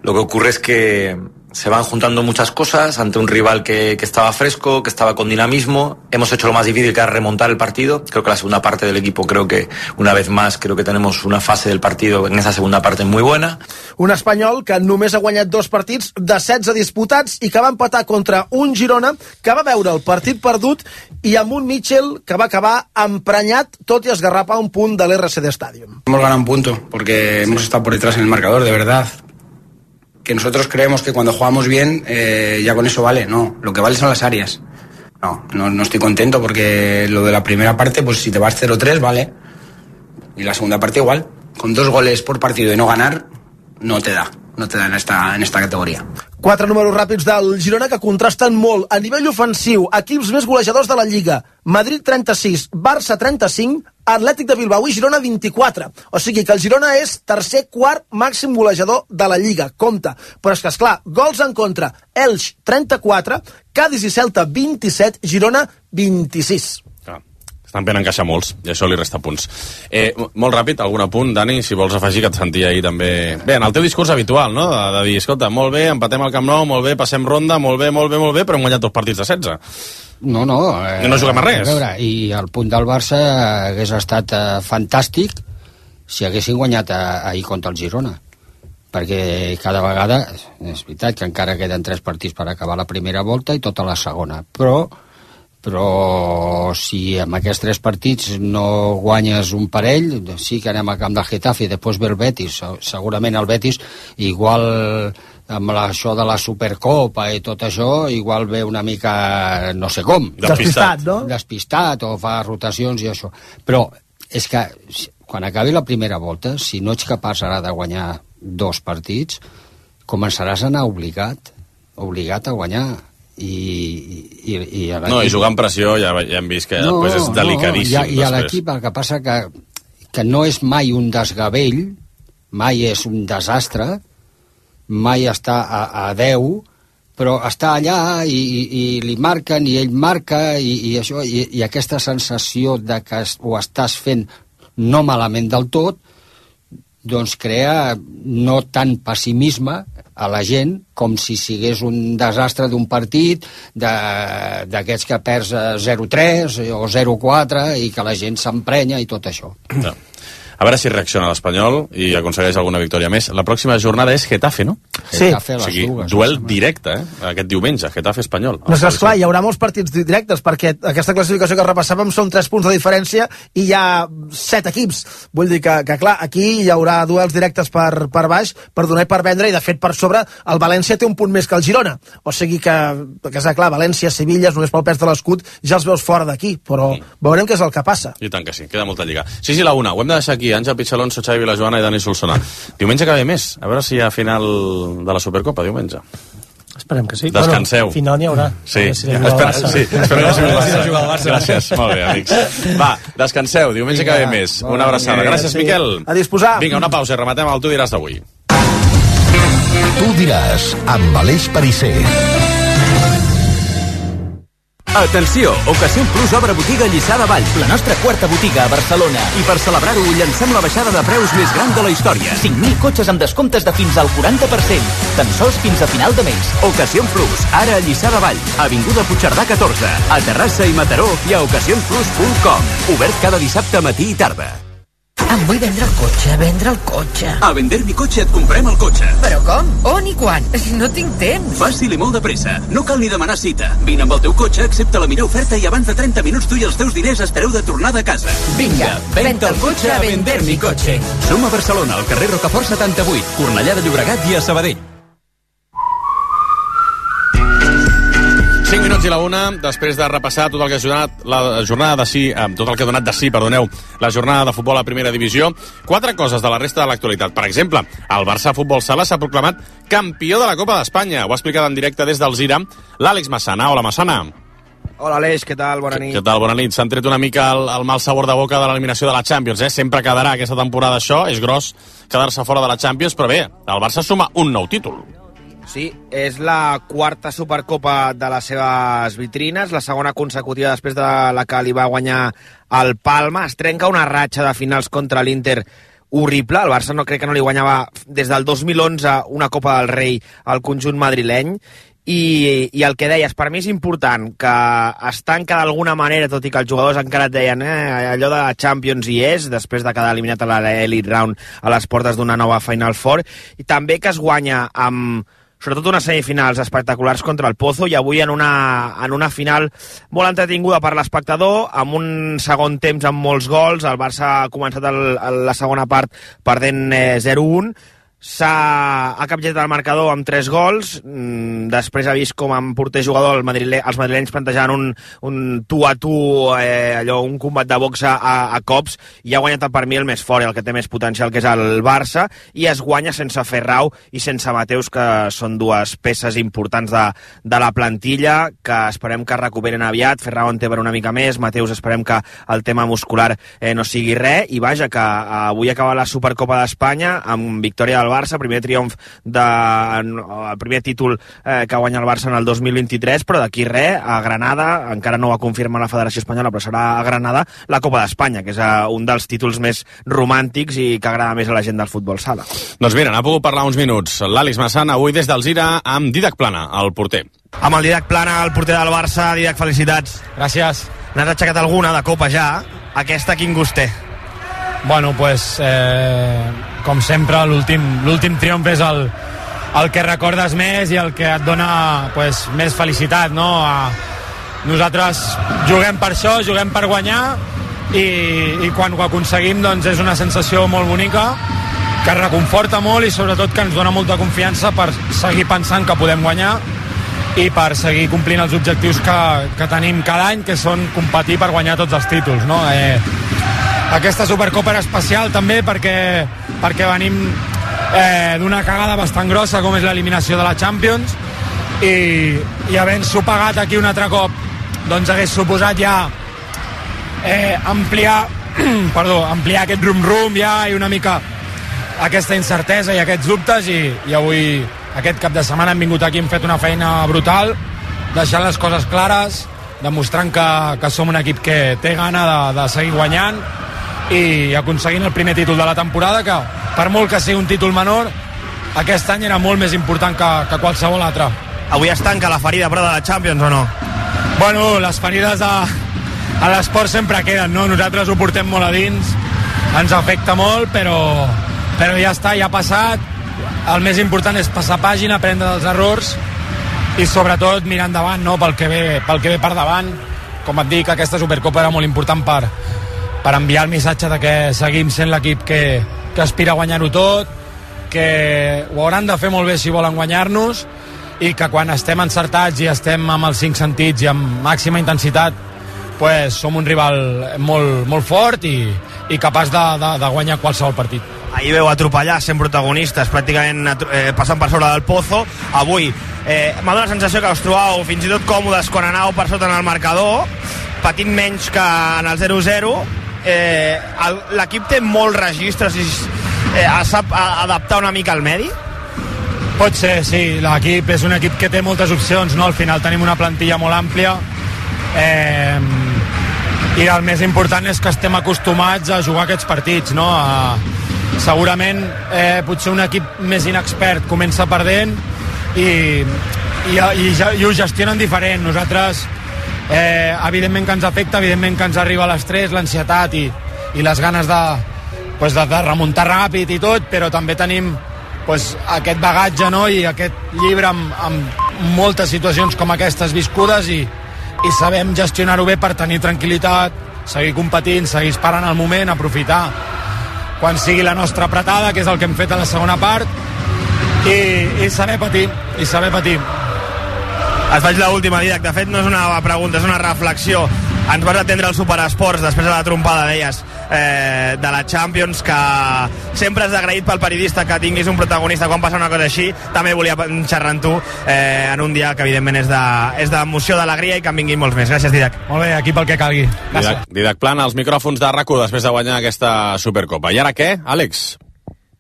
Lo que ocurre es que se van juntando muchas cosas ante un rival que estaba fresco, que estaba con dinamismo. Hemos hecho lo más difícil, que era remontar el partido. Creo que la segunda parte del equipo, creo que una vez más, creo que tenemos una fase del partido en esa segunda parte muy buena. Un Espanyol que només ha guanyat 2 partits de 16 disputats i que va empatar contra un Girona que va veure el partit perdut i amb un Mitchell que va acabar emprenyat, tot i esgarrapar un punt de l'RCD Stadium. Hemos ganado un punto porque hemos estado por detrás en el marcador, de verdad. Que nosotros creemos que cuando jugamos bien ya con eso vale. No, lo que vale son las áreas. No estoy contento porque lo de la primera parte, pues si te vas 0-3 vale, y la segunda parte igual. Con 2 goles por partido y no ganar no te da en esta categoria. 4 números ràpids del Girona que contrasten molt. A nivell ofensiu, equips més golejadors de la Lliga: Madrid 36, Barça 35, Atlètic de Bilbao i Girona 24. O sigui que el Girona és tercer, quart màxim golejador de la Lliga. Compte. Però és que, esclar, gols en contra: Elx 34, Cádiz i Celta 27, Girona 26. Estan fent encaixar molts, i això li resta punts. Molt ràpid, algun apunt, Dani, si vols afegir, que et sentia ahir també... Bé, en el teu discurs habitual, no?, de dir, escolta, molt bé, empatem al Camp Nou, molt bé, passem ronda, molt bé, però hem guanyat 2 partits de 16. No. No juguem a res. A veure, i el punt del Barça hagués estat fantàstic si haguessin guanyat ahir contra el Girona. Perquè cada vegada, és veritat que encara queden 3 partits per acabar la primera volta i tota la segona, però si amb aquests 3 partits no guanyes un parell, sí que anem al camp del Getafe i després ve el Betis. Segurament el Betis, igual amb això de la Supercopa i tot això, igual ve una mica no sé com. Despistat, no? Despistat, o fa rotacions i això. Però és que quan acabi la primera volta, si no ets capaç ara de guanyar 2 partits, començaràs a anar obligat a guanyar. i no, i jugar amb pressió ja hem vist que després és delicadíssim. I a l'equip el que passa que no és mai un desgavell, mai és un desastre, mai està a 10, però està allà i li marquen i ell marca i això, i aquesta sensació de que ho estàs fent no malament del tot, doncs crea no tant pessimisme a la gent com si sigués un desastre d'un partit d'aquests que perds 0-3 o 0-4 i que la gent s'emprenya i tot això. No. A veure si reacciona l'Espanyol i aconsegueix alguna victòria més. La pròxima jornada és Getafe, no? Sí. O sigui, duel directe, aquest diumenge, Getafe-Espanyol. No, esclar, hi haurà molts partits directes, perquè aquesta classificació que repassàvem són 3 punts de diferència i hi ha 7 equips. Vull dir que clar, aquí hi haurà duels directes per baix, per donar i per vendre, i de fet per sobre el València té un punt més que el Girona. O sigui que clar, València, Sevilla, només pel pes de l'escut, ja els veus fora d'aquí, però veurem què és el que passa. I tant que sí, queda molta lliga. 6 i la 1, ho hem de deixar aquí. Àngel Pichalonso, Xavi Vilajoana i Dani Solsona. Diumenge que ve més, a veure si hi ha final de la Supercopa, diumenge. Esperem que sí. Descanseu. Bueno, final n'hi haurà. Sí, espero que sigui el Barça. Gràcies, molt bé, amics. Va, descanseu, diumenge que ve més. Una abraçada. Gràcies, Miquel. A disposar. Vinga, una pausa i rematem el Tu diràs d'avui. Tu diràs, amb Aleix Perisser. Atenció! Ocasión Plus obre botiga a Lliçà de Vall, la nostra quarta botiga a Barcelona. I per celebrar-ho llancem la baixada de preus més gran de la història. 5.000 cotxes amb descomptes de fins al 40%. Tan sols fins a final de mes. Ocasión Plus, ara a Lliçà de Vall, avinguda Puigcerdà 14, a Terrassa i Mataró i a ocasionplus.com. Obert cada dissabte matí i tarda. Em vull vendre el cotxe. A Vender mi cotxe et comprem el cotxe. Però com? On i quan? No tinc temps. Fàcil i molt de pressa. No cal ni demanar cita. Vine amb el teu cotxe, accepta la millor oferta i abans de 30 minuts tu i els teus diners espereu de tornada a casa. Vinga, venta el cotxe a Vender mi cotxe. Som a Barcelona, al carrer Rocafort 78, Cornellà de Llobregat i a Sabadell. 5 minuts i la 1, després de repassar tot el que ha donat la jornada de sí, tot el que ha donat de sí, perdoneu, la jornada de futbol a primera divisió. 4 coses de la resta de l'actualitat. Per exemple, el Barça Futbol Sala s'ha proclamat campió de la Copa d'Espanya. Ho ha explicat en directe des d'Alzira l'Àlex Massana. Hola, Massana. Hola, Aleix, què tal? Bona nit. Què tal? Bona nit. S'han tret una mica el mal sabor de boca de l'eliminació de la Champions, Sempre quedarà aquesta temporada això, és gros quedar-se fora de la Champions, però bé, el Barça suma un nou títol. Sí, és la quarta Supercopa de les seves vitrines, la segona consecutiva després de la que li va guanyar el Palma. Es trenca una ratxa de finals contra l'Inter horrible. El Barça crec que no li guanyava des del 2011 una Copa del Rei al conjunt madrileny. I el que deies, per mi és important que es tanca d'alguna manera, tot i que els jugadors encara et deien allò de la Champions hi és, després de quedar eliminat a l'Elite Round a les portes d'una nova Final Four, i també que es guanya amb sobretot unes semifinals espectaculars contra el Pozo, i avui en una final molt entretinguda per l'espectador, amb un segon temps amb molts gols. El Barça ha començat la segona part perdent 0-1, ha capgirat el marcador amb 3 gols, després ha vist com amb porter jugador els madrilenys plantejaven un tu a tu, allò, un combat de boxa a cops, i ha guanyat per mi el més fort i el que té més potencial, que és el Barça, i es guanya sense Ferrau i sense Mateus, que són dues peces importants de la plantilla, que esperem que recuperen aviat. Ferrau en té per una mica més, Mateus esperem que el tema muscular no sigui res, i vaja, que avui acaba la Supercopa d'Espanya amb victòria del Barça, primer triomf el primer títol que guanya el Barça en el 2023, però d'aquí res, a Granada, encara no ho ha confirmat la Federació Espanyola, però serà a Granada la Copa d'Espanya, que és un dels títols més romàntics i que agrada més a la gent del futbol sala. Doncs mira, n'ha pogut parlar uns minuts l'Àlex Massana avui des d'Alzira amb Didac Plana, el porter. Amb el Didac Plana, el porter del Barça. Didac, felicitats. Gràcies. N'has aixecat alguna de copa ja? Aquesta quin gust té? Bueno, pues, com sempre, l'últim triomf és el que recordes més i el que et dona pues, més felicitat, no? Nosaltres juguem per això, juguem per guanyar, i quan ho aconseguim doncs és una sensació molt bonica, que reconforta molt i sobretot que ens dona molta confiança per seguir pensant que podem guanyar i per seguir complint els objectius que tenim cada any, que són competir per guanyar tots els títols, no? Aquesta Supercopa era especial també perquè venim d'una cagada bastant grossa com és l'eliminació de la Champions, i havent-s'ho pagat aquí un altre cop, doncs hagués suposat ja ampliar aquest rum-rum ja, i una mica aquesta incertesa i aquests dubtes, i avui, aquest cap de setmana, hem vingut aquí, hem fet una feina brutal, deixant les coses clares, demostrant que som un equip que té gana de seguir guanyant i aconseguint el primer títol de la temporada, que per molt que sigui un títol menor, aquest any era molt més important que qualsevol altre. Avui es tanca la ferida, però, de la Champions, o no? Bueno, les ferides a l'esport sempre queden, no? Nosaltres ho portem molt a dins, ens afecta molt, però ja està, ja ha passat. El més important és passar pàgina, aprendre dels errors i sobretot mirar endavant, no? pel que ve per davant. Com et dic, aquesta Supercopa era molt important per enviar el missatge de que seguim sent l'equip que aspira a guanyar-ho tot, que ho hauran de fer molt bé si volen guanyar-nos, i que quan estem encertats i estem amb els 5 sentits i amb màxima intensitat, pues som un rival molt, molt fort i capaç de guanyar qualsevol partit. Ahir veu atropellar, sent protagonistes, pràcticament passant per sobre del Pozo. Avui m'ha donat la sensació que us trobàveu fins i tot còmodes quan anàveu per sota en el marcador, patint menys que en el 0-0. L'equip té molts registres i sap adaptar una mica al medi? Pot ser, sí. L'equip és un equip que té moltes opcions, no? Al final tenim una plantilla molt àmplia, i el més important és que estem acostumats a jugar aquests partits, no? Segurament potser un equip més inexpert comença perdent i ho gestionen diferent. Nosaltres evidentment que ens afecta, evidentment que ens arriba l'estrès, l'ansietat i les ganes de remuntar ràpid i tot, però també tenim aquest bagatge, no? I aquest llibre amb moltes situacions com aquestes viscudes i sabem gestionar-ho bé per tenir tranquil·litat, seguir competint, seguir esperant el moment, aprofitar quan sigui la nostra apretada, que és el que hem fet a la segona part, i saber patir, Et faig l'última, Didac. De fet, no és una pregunta, és una reflexió. Ens vas atendre al Superesports després de la trompada, deies, de la Champions, que sempre has agraït pel periodista que tinguis un protagonista quan passa una cosa així. També volia xerrar amb tu en un dia que evidentment és d'emoció, d'alegria i que en vinguin molts més. Gràcies, Didac. Molt bé, aquí pel que calgui. Didac Plana, els micròfons de RAC1 després de guanyar aquesta Supercopa. I ara què, Àlex?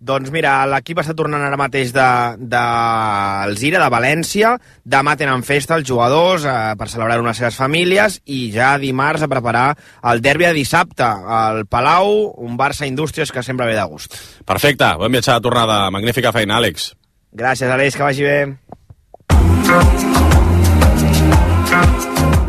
Doncs mira, l'equip està tornant ara mateix d'Alzira, de València. Demà tenen festa els jugadors per celebrar-ho amb les seves famílies i ja dimarts a preparar el derbi de dissabte al Palau, un Barça Indústries que sempre ve de gust. Perfecte, bon viatge de tornada. Magnífica feina, Àlex. Gràcies, Àlex, que vagi bé.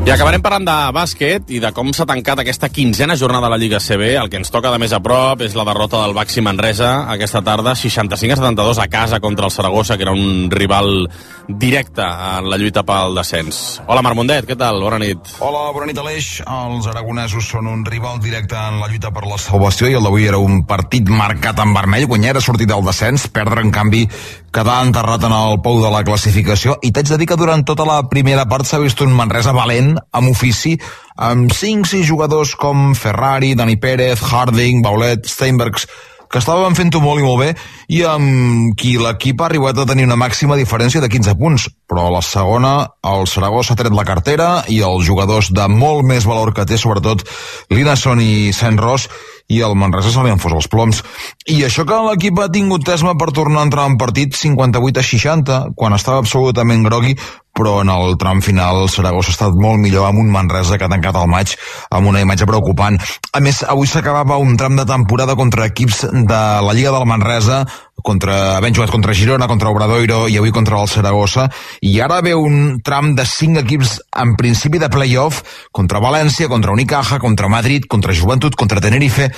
I acabarem parlant de bàsquet i de com s'ha tancat aquesta 15a jornada de la Lliga CB. El que ens toca de més a prop és la derrota del Baxi Manresa aquesta tarda, 65-72 a casa contra el Saragossa, que era un rival directe en la lluita pel descens. Hola, Marc Mundet, què tal? Bona nit. Hola, bona nit, Aleix. Els aragonesos són un rival directe en la lluita per la salvació i el d'avui era un partit marcat en vermell. Guanyar era sortir del descens, perdre, en canvi, quedar enterrat en el pou de la classificació. I t'haig de dir que durant tota la primera part s'ha vist un Manresa valent, amb ofici, amb 5-6 jugadors com Ferrari, Dani Pérez, Harding, Baulet, Steinbergs, que estaven fent-ho molt i molt bé, i amb qui l'equip ha arribat a tenir una màxima diferència de 15 punts. Però a la segona, el Saragossa ha tret la cartera i els jugadors de molt més valor que té, sobretot Linasson i Saint-Ross, i el Manresa se li han fos els ploms. I això que l'equip ha tingut tesma per tornar a entrar en partit 58-60, quan estava absolutament grogui, però en el tram final el Saragossa ha estat molt millor amb un Manresa que ha tancat el maig amb una imatge preocupant. A més, avui s'acabava un tram de temporada contra equips de la Lliga del Manresa, havent jugat contra Girona, contra Obradoiro i avui contra el Saragossa, i ara ve un tram de 5 equips en principi de play-off, contra València, contra Unicaja, contra Madrid, contra Joventut, contra Tenerife.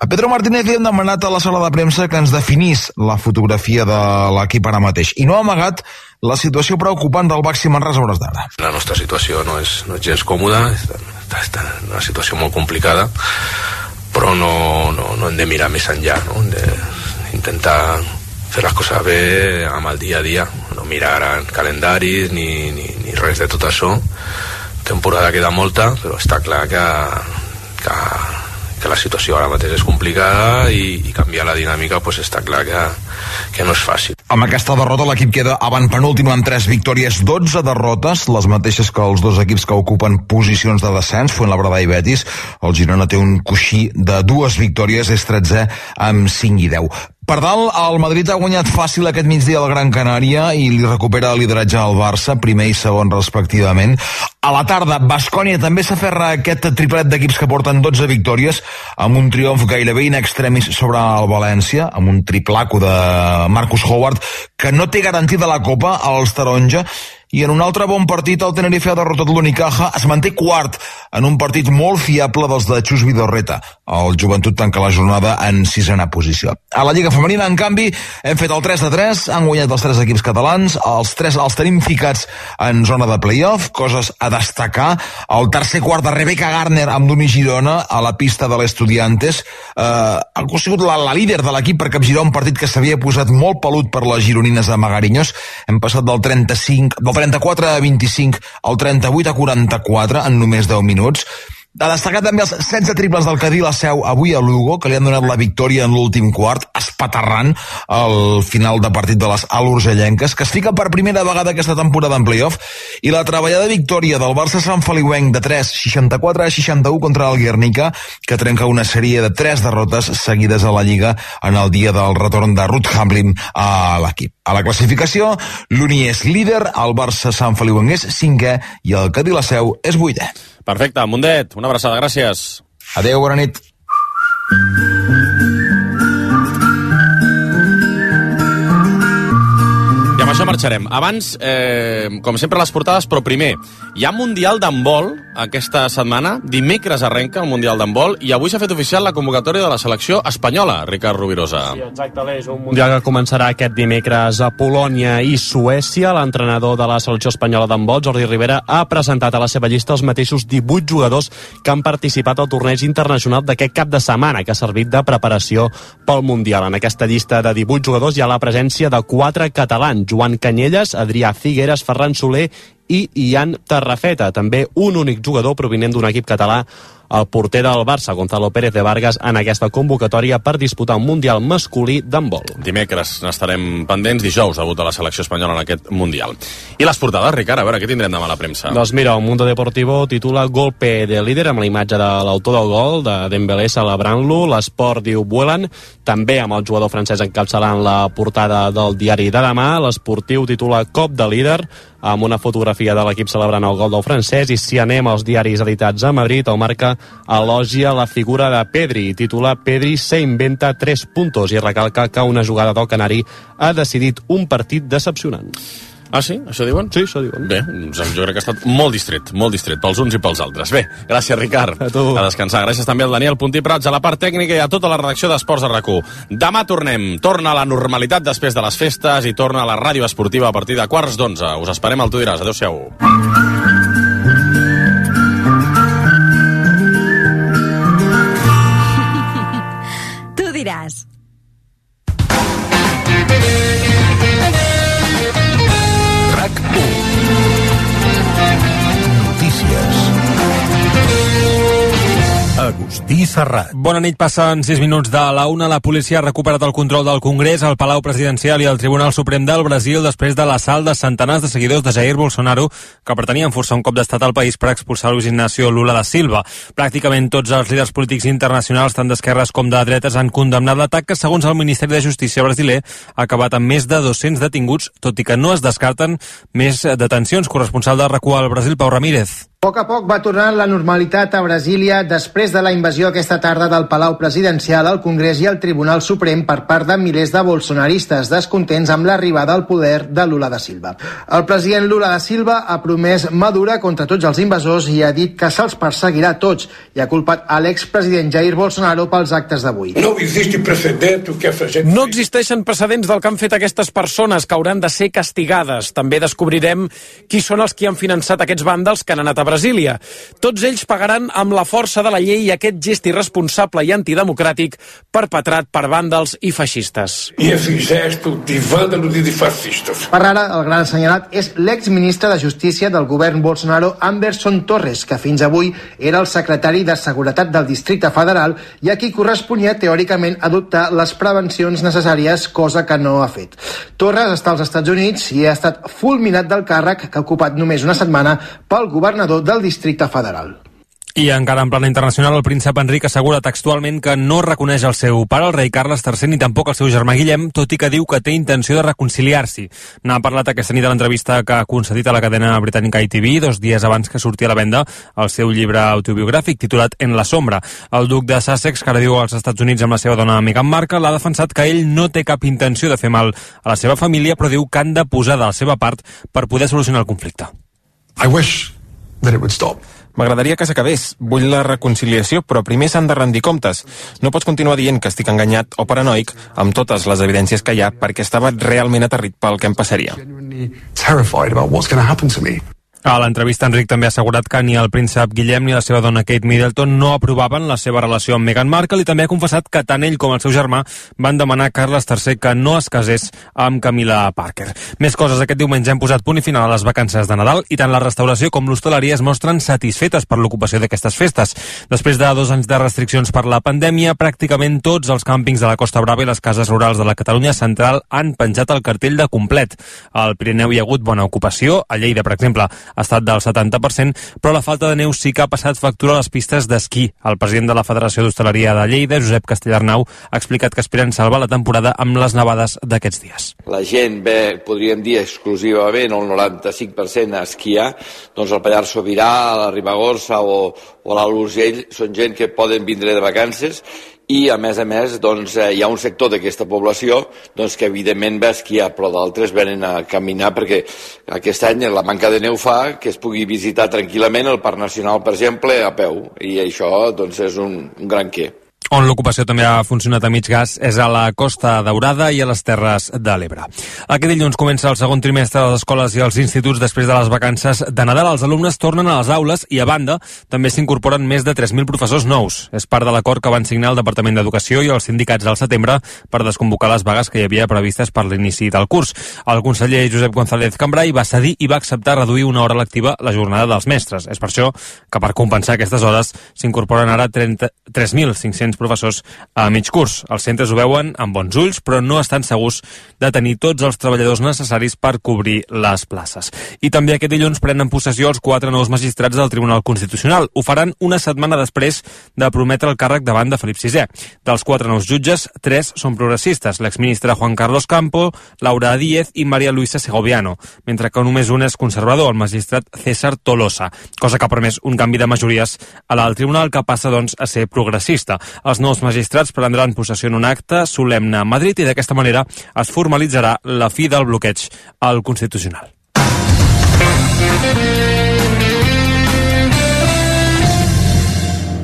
A Pedro Martínez li hem demanat a la sala de premsa que ens definís la fotografia de l'equip ara mateix, i no ha amagat la situació preocupant del Baxi Manresa a hores d'ara. La nostra situació no és gens còmoda, està en una situació molt complicada, però no hem de mirar més enllà, no? Hem d'intentar fer les coses bé amb el dia a dia, no mirar en calendaris ni res de tot això. Temporada queda molta, però està clar que la situació ara mateix és complicada i canviar la dinàmica pues, està clar que no és fàcil. Amb aquesta derrota l'equip queda avantpenúltim amb 3 victòries, 12 derrotes, les mateixes que els 2 equips que ocupen posicions de descens, Fuenlabrada i Betis. El Girona té un coixí de 2 victòries, és 13è amb 5 i 10. Per dalt, el Madrid ha guanyat fàcil aquest migdia al Gran Canària i li recupera el lideratge al Barça, primer i segon respectivament. A la tarda, Baskonia també s'aferra a aquest triplet d'equips que porten 12 victòries, amb un triomf gairebé in extremis sobre el València, amb un triplaco de Marcus Howard, que no té garantida la Copa als taronja, i en un altre bon partit el Tenerife ha derrotat l'Unicaja, es manté quart en un partit molt fiable dels de Chus Vidorreta. El Joventut tanca la jornada en 6a posició. A la Lliga Femenina, en canvi, hem fet el 3-3, han guanyat els 3 equips catalans, els 3 els tenim ficats en zona de play-off, coses a destacar. El tercer quart de Rebecca Garner amb Duni Girona a la pista de l'Estudiantes. Ha sigut la líder de l'equip per capgirar un partit que s'havia posat molt pelut per les gironines de Magariños. Hem passat del 34 a 25 al 38 a 44 en només 10 minuts. Ha destacat també els 16 triples del Cadí la Seu avui a Lugo, que li han donat la victòria en l'últim quart, espaterrant el final de partit de les alurgellenques, que es fica per primera vegada aquesta temporada en playoff, i la treballada victòria del Barça Sant Feliuenc de 3, 64 a 61 contra el Guernica, que trenca una sèrie de 3 derrotes seguides a la Lliga en el dia del retorn de Ruud Hamblin a l'equip. A la classificació, l'Uni és líder, el Barça Sant Feliuenc és 5è i el Cadí la Seu és 8è. Perfecte, Mundet, una abraçada, gràcies. Adéu, bona nit. I amb això marxarem. Abans, com sempre, les portades, però primer, hi ha Mundial d'handbol aquesta setmana. Dimecres arrenca el Mundial d'handbol i avui s'ha fet oficial la convocatòria de la selecció espanyola, Ricard Rovirosa. Sí, exacte, és un Mundial que començarà aquest dimecres a Polònia i Suècia. L'entrenador de la selecció espanyola d'handbol, Jordi Rivera, ha presentat a la seva llista els mateixos 18 jugadors que han participat al torneig internacional d'aquest cap de setmana, que ha servit de preparació pel Mundial. En aquesta llista de 18 jugadors hi ha la presència de 4 catalans: Joan Canyelles, Adrià Figueres, Ferran Soler i Ian Tarrafeta. També un únic jugador provinent d'un equip català, el porter del Barça, Gonzalo Pérez de Vargas, en aquesta convocatòria per disputar un Mundial masculí d'handbol. Dimecres n'estarem pendents, dijous debut de la selecció espanyola en aquest Mundial. I les portades, Ricard, a veure, què tindrem demà a la premsa? Doncs mira, el Mundo Deportivo titula Golpe de líder, amb la imatge de l'autor del gol, de Dembélé celebrant-lo. L'Esport diu Vuelan, també amb el jugador francès encapçalant la portada del diari de demà. L'Esportiu titula Cop de líder, amb una fotografia de l'equip celebrant el gol del francès. I si anem als diaris editats a Madrid, el Marca elogia la figura de Pedri, titula Pedri se inventa 3 puntos i recalca que una jugada del Canari ha decidit un partit decepcionant. Ah, sí? Això diuen? Sí, això diuen. Bé, jo crec que ha estat molt distret pels uns i pels altres. Bé, gràcies, Ricard. A tu. A descansar. Gràcies també al Daniel Puntí Prats, a la part tècnica i a tota la redacció d'Esports de RAC1. Demà tornem. Torna a la normalitat després de les festes i torna a la ràdio esportiva a partir de 11:15. Us esperem al Tu diràs. Adéu-siau. Tu diràs. Agustí Serrat. Bona nit, passen 6 minuts de la 1. La policia ha recuperat el control del Congrés, el Palau Presidencial i el Tribunal Suprem del Brasil després de l'assalt de centenars de seguidors de Jair Bolsonaro que pretenien forçar un cop d'estat al país per expulsar Luis Ignacio Lula da Silva. Pràcticament tots els líders polítics internacionals, tant d'esquerres com de dretes, han condemnat l'atac que, segons el Ministeri de Justícia brasiler, ha acabat amb més de 200 detinguts, tot i que no es descarten més detencions. Corresponsal de RAC1 al Brasil, Pau Ramírez. A poc va tornar la normalitat a Brasília després de la invasió aquesta tarda del Palau Presidencial, al Congrés i al Tribunal Suprem per part de milers de bolsonaristes descontents amb l'arribada al poder de Lula da Silva. El president Lula da Silva ha promès mà dura contra tots els invasors i ha dit que se'ls perseguirà tots i ha culpat a l'expresident Jair Bolsonaro pels actes d'avui. No existeixen precedents del que han fet aquestes persones, que hauran de ser castigades. També descobrirem qui són els qui han finançat aquests vàndals que han anat a Brasília. Tots ells pagaran amb la força de la llei aquest gest irresponsable i antidemocràtic perpetrat per vàndals i feixistes. I aquest gesto de vàndalos i de fascistes. Per ara, el gran assenyalat és l'exministre de Justícia del govern Bolsonaro, Anderson Torres, que fins avui era el secretari de Seguretat del Districte Federal i a qui corresponia teòricament adoptar les prevencions necessàries, cosa que no ha fet. Torres està als Estats Units i ha estat fulminat del càrrec que ha ocupat només una setmana pel governador del Districte Federal. I encara en plana internacional, el príncep Enric assegura textualment que no reconeix el seu pare, el rei Carles III, ni tampoc el seu germà Guillem, tot i que diu que té intenció de reconciliar-s'hi. N'ha parlat aquesta nit a l'entrevista que ha concedit a la cadena britànica ITV 2 dies abans que sortia a la venda el seu llibre autobiogràfic titulat En la sombra. El duc de Sussex, que ara viu als Estats Units amb la seva dona Meghan Markle, ha defensat que ell no té cap intenció de fer mal a la seva família, però diu que han de posar de la seva part per poder solucionar el conflicte. I wish that it would stop. M'agradaria que s'acabés. Vull la reconciliació, però primer s'han de rendir comptes. No pots continuar dient que estic enganyat o paranoic amb totes les evidències que hi ha perquè estava realment aterrit pel que em passaria. Terrified about what's going to happen to me. A l'entrevista, Enric també ha assegurat que ni el príncep Guillem ni la seva dona Kate Middleton no aprovaven la seva relació amb Meghan Markle i també ha confessat que tant ell com el seu germà van demanar a Carles III que no es casés amb Camilla Parker. Més coses. Aquest diumenge hem posat punt i final a les vacances de Nadal i tant la restauració com l'hostaleria es mostren satisfetes per l'ocupació d'aquestes festes. Després de 2 anys de restriccions per la pandèmia, pràcticament tots els càmpings de la Costa Brava i les cases rurals de la Catalunya central han penjat el cartell de complet. Al Pirineu hi ha hagut bona ocupació, a Lleida, per exemple, ha estat del 70%, però la falta de neu sí que ha passat factura a les pistes d'esquí. El president de la Federació d'Hostaleria de Lleida, Josep Castellarnau, ha explicat que aspiren salvar la temporada amb les nevades d'aquests dies. La gent ve, podríem dir, exclusivament el 95% a esquiar, doncs el Pallars Sobirà, la Ribagorça o l'Alt Urgell són gent que poden vindre de vacances i a més doncs, hi ha un sector d'aquesta població doncs, que evidentment va esquiar, però d'altres venen a caminar perquè aquest any la manca de neu fa que es pugui visitar tranquil·lament el Parc Nacional, per exemple, a peu, i això doncs, és un gran què. On l'ocupació també ha funcionat a mig gas és a la Costa Daurada i a les Terres de l'Ebre. Aquest dilluns comença el segon trimestre de les escoles i els instituts després de les vacances de Nadal. Els alumnes tornen a les aules i, a banda, també s'incorporen més de 3.000 professors nous. És part de l'acord que van signar el Departament d'Educació i els sindicats al setembre per desconvocar les vagues que hi havia previstes per l'inici del curs. El conseller Josep González Cambray va cedir i va acceptar reduir una hora lectiva la jornada dels mestres. És per això que, per compensar aquestes hores, s'incorporen ara 3.500 professors a mig curs. Els centres ho veuen amb bons ulls, però no estan segurs de tenir tots els treballadors necessaris per cobrir les places. I també aquest dilluns prenen possessió els 4 nous magistrats del Tribunal Constitucional. Ho faran una setmana després de prometre el càrrec davant de Felip VI. Dels 4 nous jutges, 3 són progressistes, l'exministre Juan Carlos Campo, Laura Díez i María Luisa Segoviano, mentre que només un és conservador, el magistrat César Tolosa, cosa que ha permès un canvi de majories a l'alt tribunal que passa, doncs, a ser progressista. Els nous magistrats prendran possessió en un acte solemne a Madrid i d'aquesta manera es formalitzarà la fi del bloqueig al Constitucional.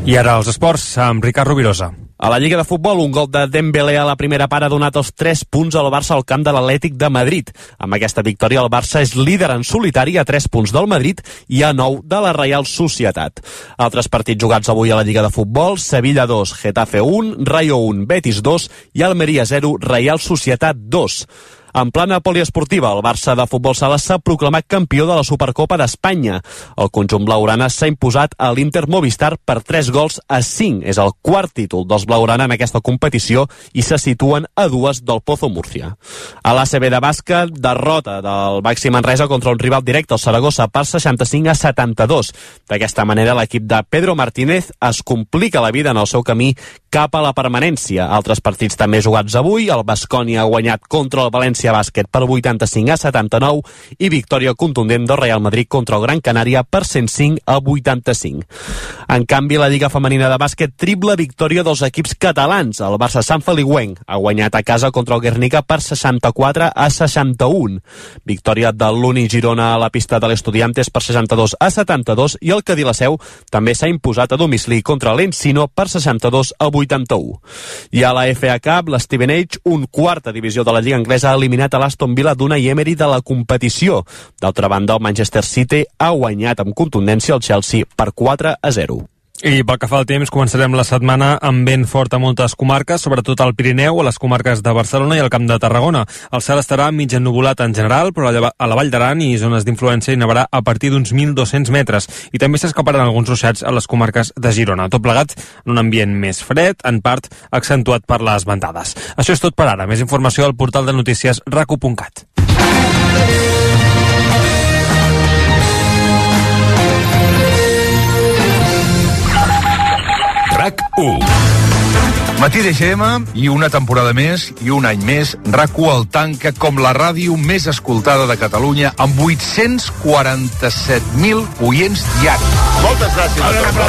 I ara els esports amb Ricard Rovirosa. A la Lliga de Futbol, un gol de Dembélé a la primera part ha donat els 3 punts al Barça al camp de l'Atlètic de Madrid. Amb aquesta victòria, el Barça és líder en solitari a 3 punts del Madrid i a 9 de la Reial Societat. Altres partits jugats avui a la Lliga de Futbol: Sevilla 2, Getafe 1, Rayo 1, Betis 2 i Almeria 0, Reial Societat 2. En plana poliesportiva, el Barça de Futbol Sala s'ha proclamat campió de la Supercopa d'Espanya. El conjunt blaugrana s'ha imposat a l'Inter Movistar per 3-5. És el quart títol dels blaugrana en aquesta competició i se situen a 2 del Pozo Múrcia. A l'ACB de bàsquet, derrota del Baxi Manresa contra un rival directe, el Saragossa, per 65-72. D'aquesta manera, l'equip de Pedro Martínez es complica la vida en el seu camí cap a la permanència. Altres partits també jugats avui. El Baskonia ha guanyat contra el València Bàsquet per 85-79 i victòria contundent del Real Madrid contra el Gran Canària per 105-85. En canvi, la Lliga Femenina de Bàsquet, triple victòria dels equips catalans. El Barça Sant Feliuenc ha guanyat a casa contra el Guernica per 64-61. Victòria de l'Uni Girona a la pista de l'Estudiantes per 62-72 i el Cadí la Seu també s'ha imposat a domicili contra l'Encino per 62-80. 81. I a la FA Cup, l'Stevenage, un quarta divisió de la Lliga Anglesa, ha eliminat a l'Aston Villa d'Unai Emery de la competició. D'altra banda, el Manchester City ha guanyat amb contundència el Chelsea per 4-0. I pel que fa al temps, començarem la setmana amb vent fort a moltes comarques, sobretot al Pirineu, a les comarques de Barcelona i al Camp de Tarragona. El cel estarà mig ennuvolat en general, però a la Vall d'Aran i zones d'influència hi nevarà a partir d'uns 1.200 metres. I també s'escaparan alguns ruixats a les comarques de Girona. Tot plegat en un ambient més fred, en part accentuat per les ventades. Això és tot per ara. Més informació al portal de notícies racu.cat. RAC1. Matí de GM i una temporada més i un any més RAC1 el tanca com la ràdio més escoltada de Catalunya amb 847.000 oients diaris. Moltes gràcies a tots.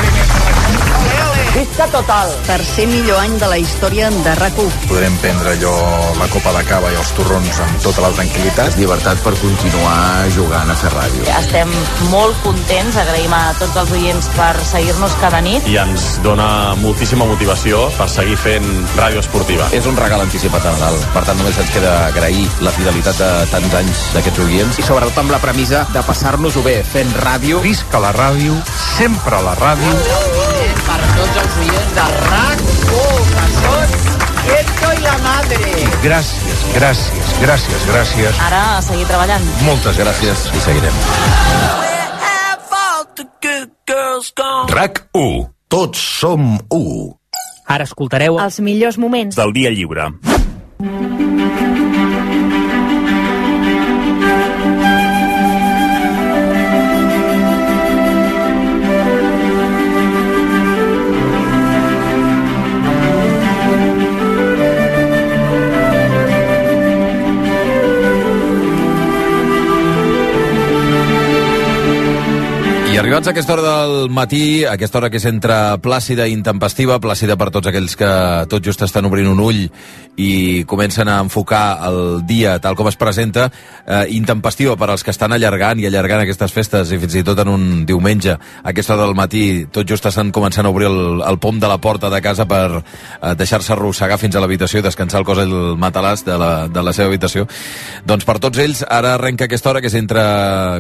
Visca total. Tercer millor any de la història de RAC1. Podrem prendre allò, la copa de cava i els torrons amb tota la tranquil·litat. Llibertat per continuar jugant a fer ràdio. Estem molt contents, agraïm a tots els oients per seguir-nos cada nit. I ens dona moltíssima motivació per seguir fent ràdio esportiva. És un regal anticipat de Nadal, per tant només ens queda agrair la fidelitat de tants anys d'aquests oients. I sobretot amb la premissa de passar-nos-ho bé fent ràdio. Visca la ràdio, sempre a la ràdio. Per tots els oients de RAC1, que són Esto i la madre. Gràcies, gràcies, gràcies, gràcies. Ara a seguir treballant. Moltes gràcies i seguirem. RAC1. Tots som u. Ara escoltareu Els millors moments del dia lliure. I arribats a aquesta hora del matí, a aquesta hora que és entre plàcida i intempestiva, plàcida per tots aquells que tot just estan obrint un ull i comencen a enfocar el dia tal com es presenta, intempestiva per als que estan allargant aquestes festes i fins i tot en un diumenge, a aquesta hora del matí, tot just estan començant a obrir el pom de la porta de casa per deixar-se arrossegar fins a l'habitació i descansar el cos al matalàs de la seva habitació. Doncs per tots ells, ara arrenca aquesta hora que és entre,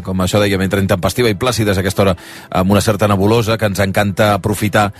com això dèiem, entre intempestiva i plàcida, és aquesta hora amb una certa nebulosa que ens encanta aprofitar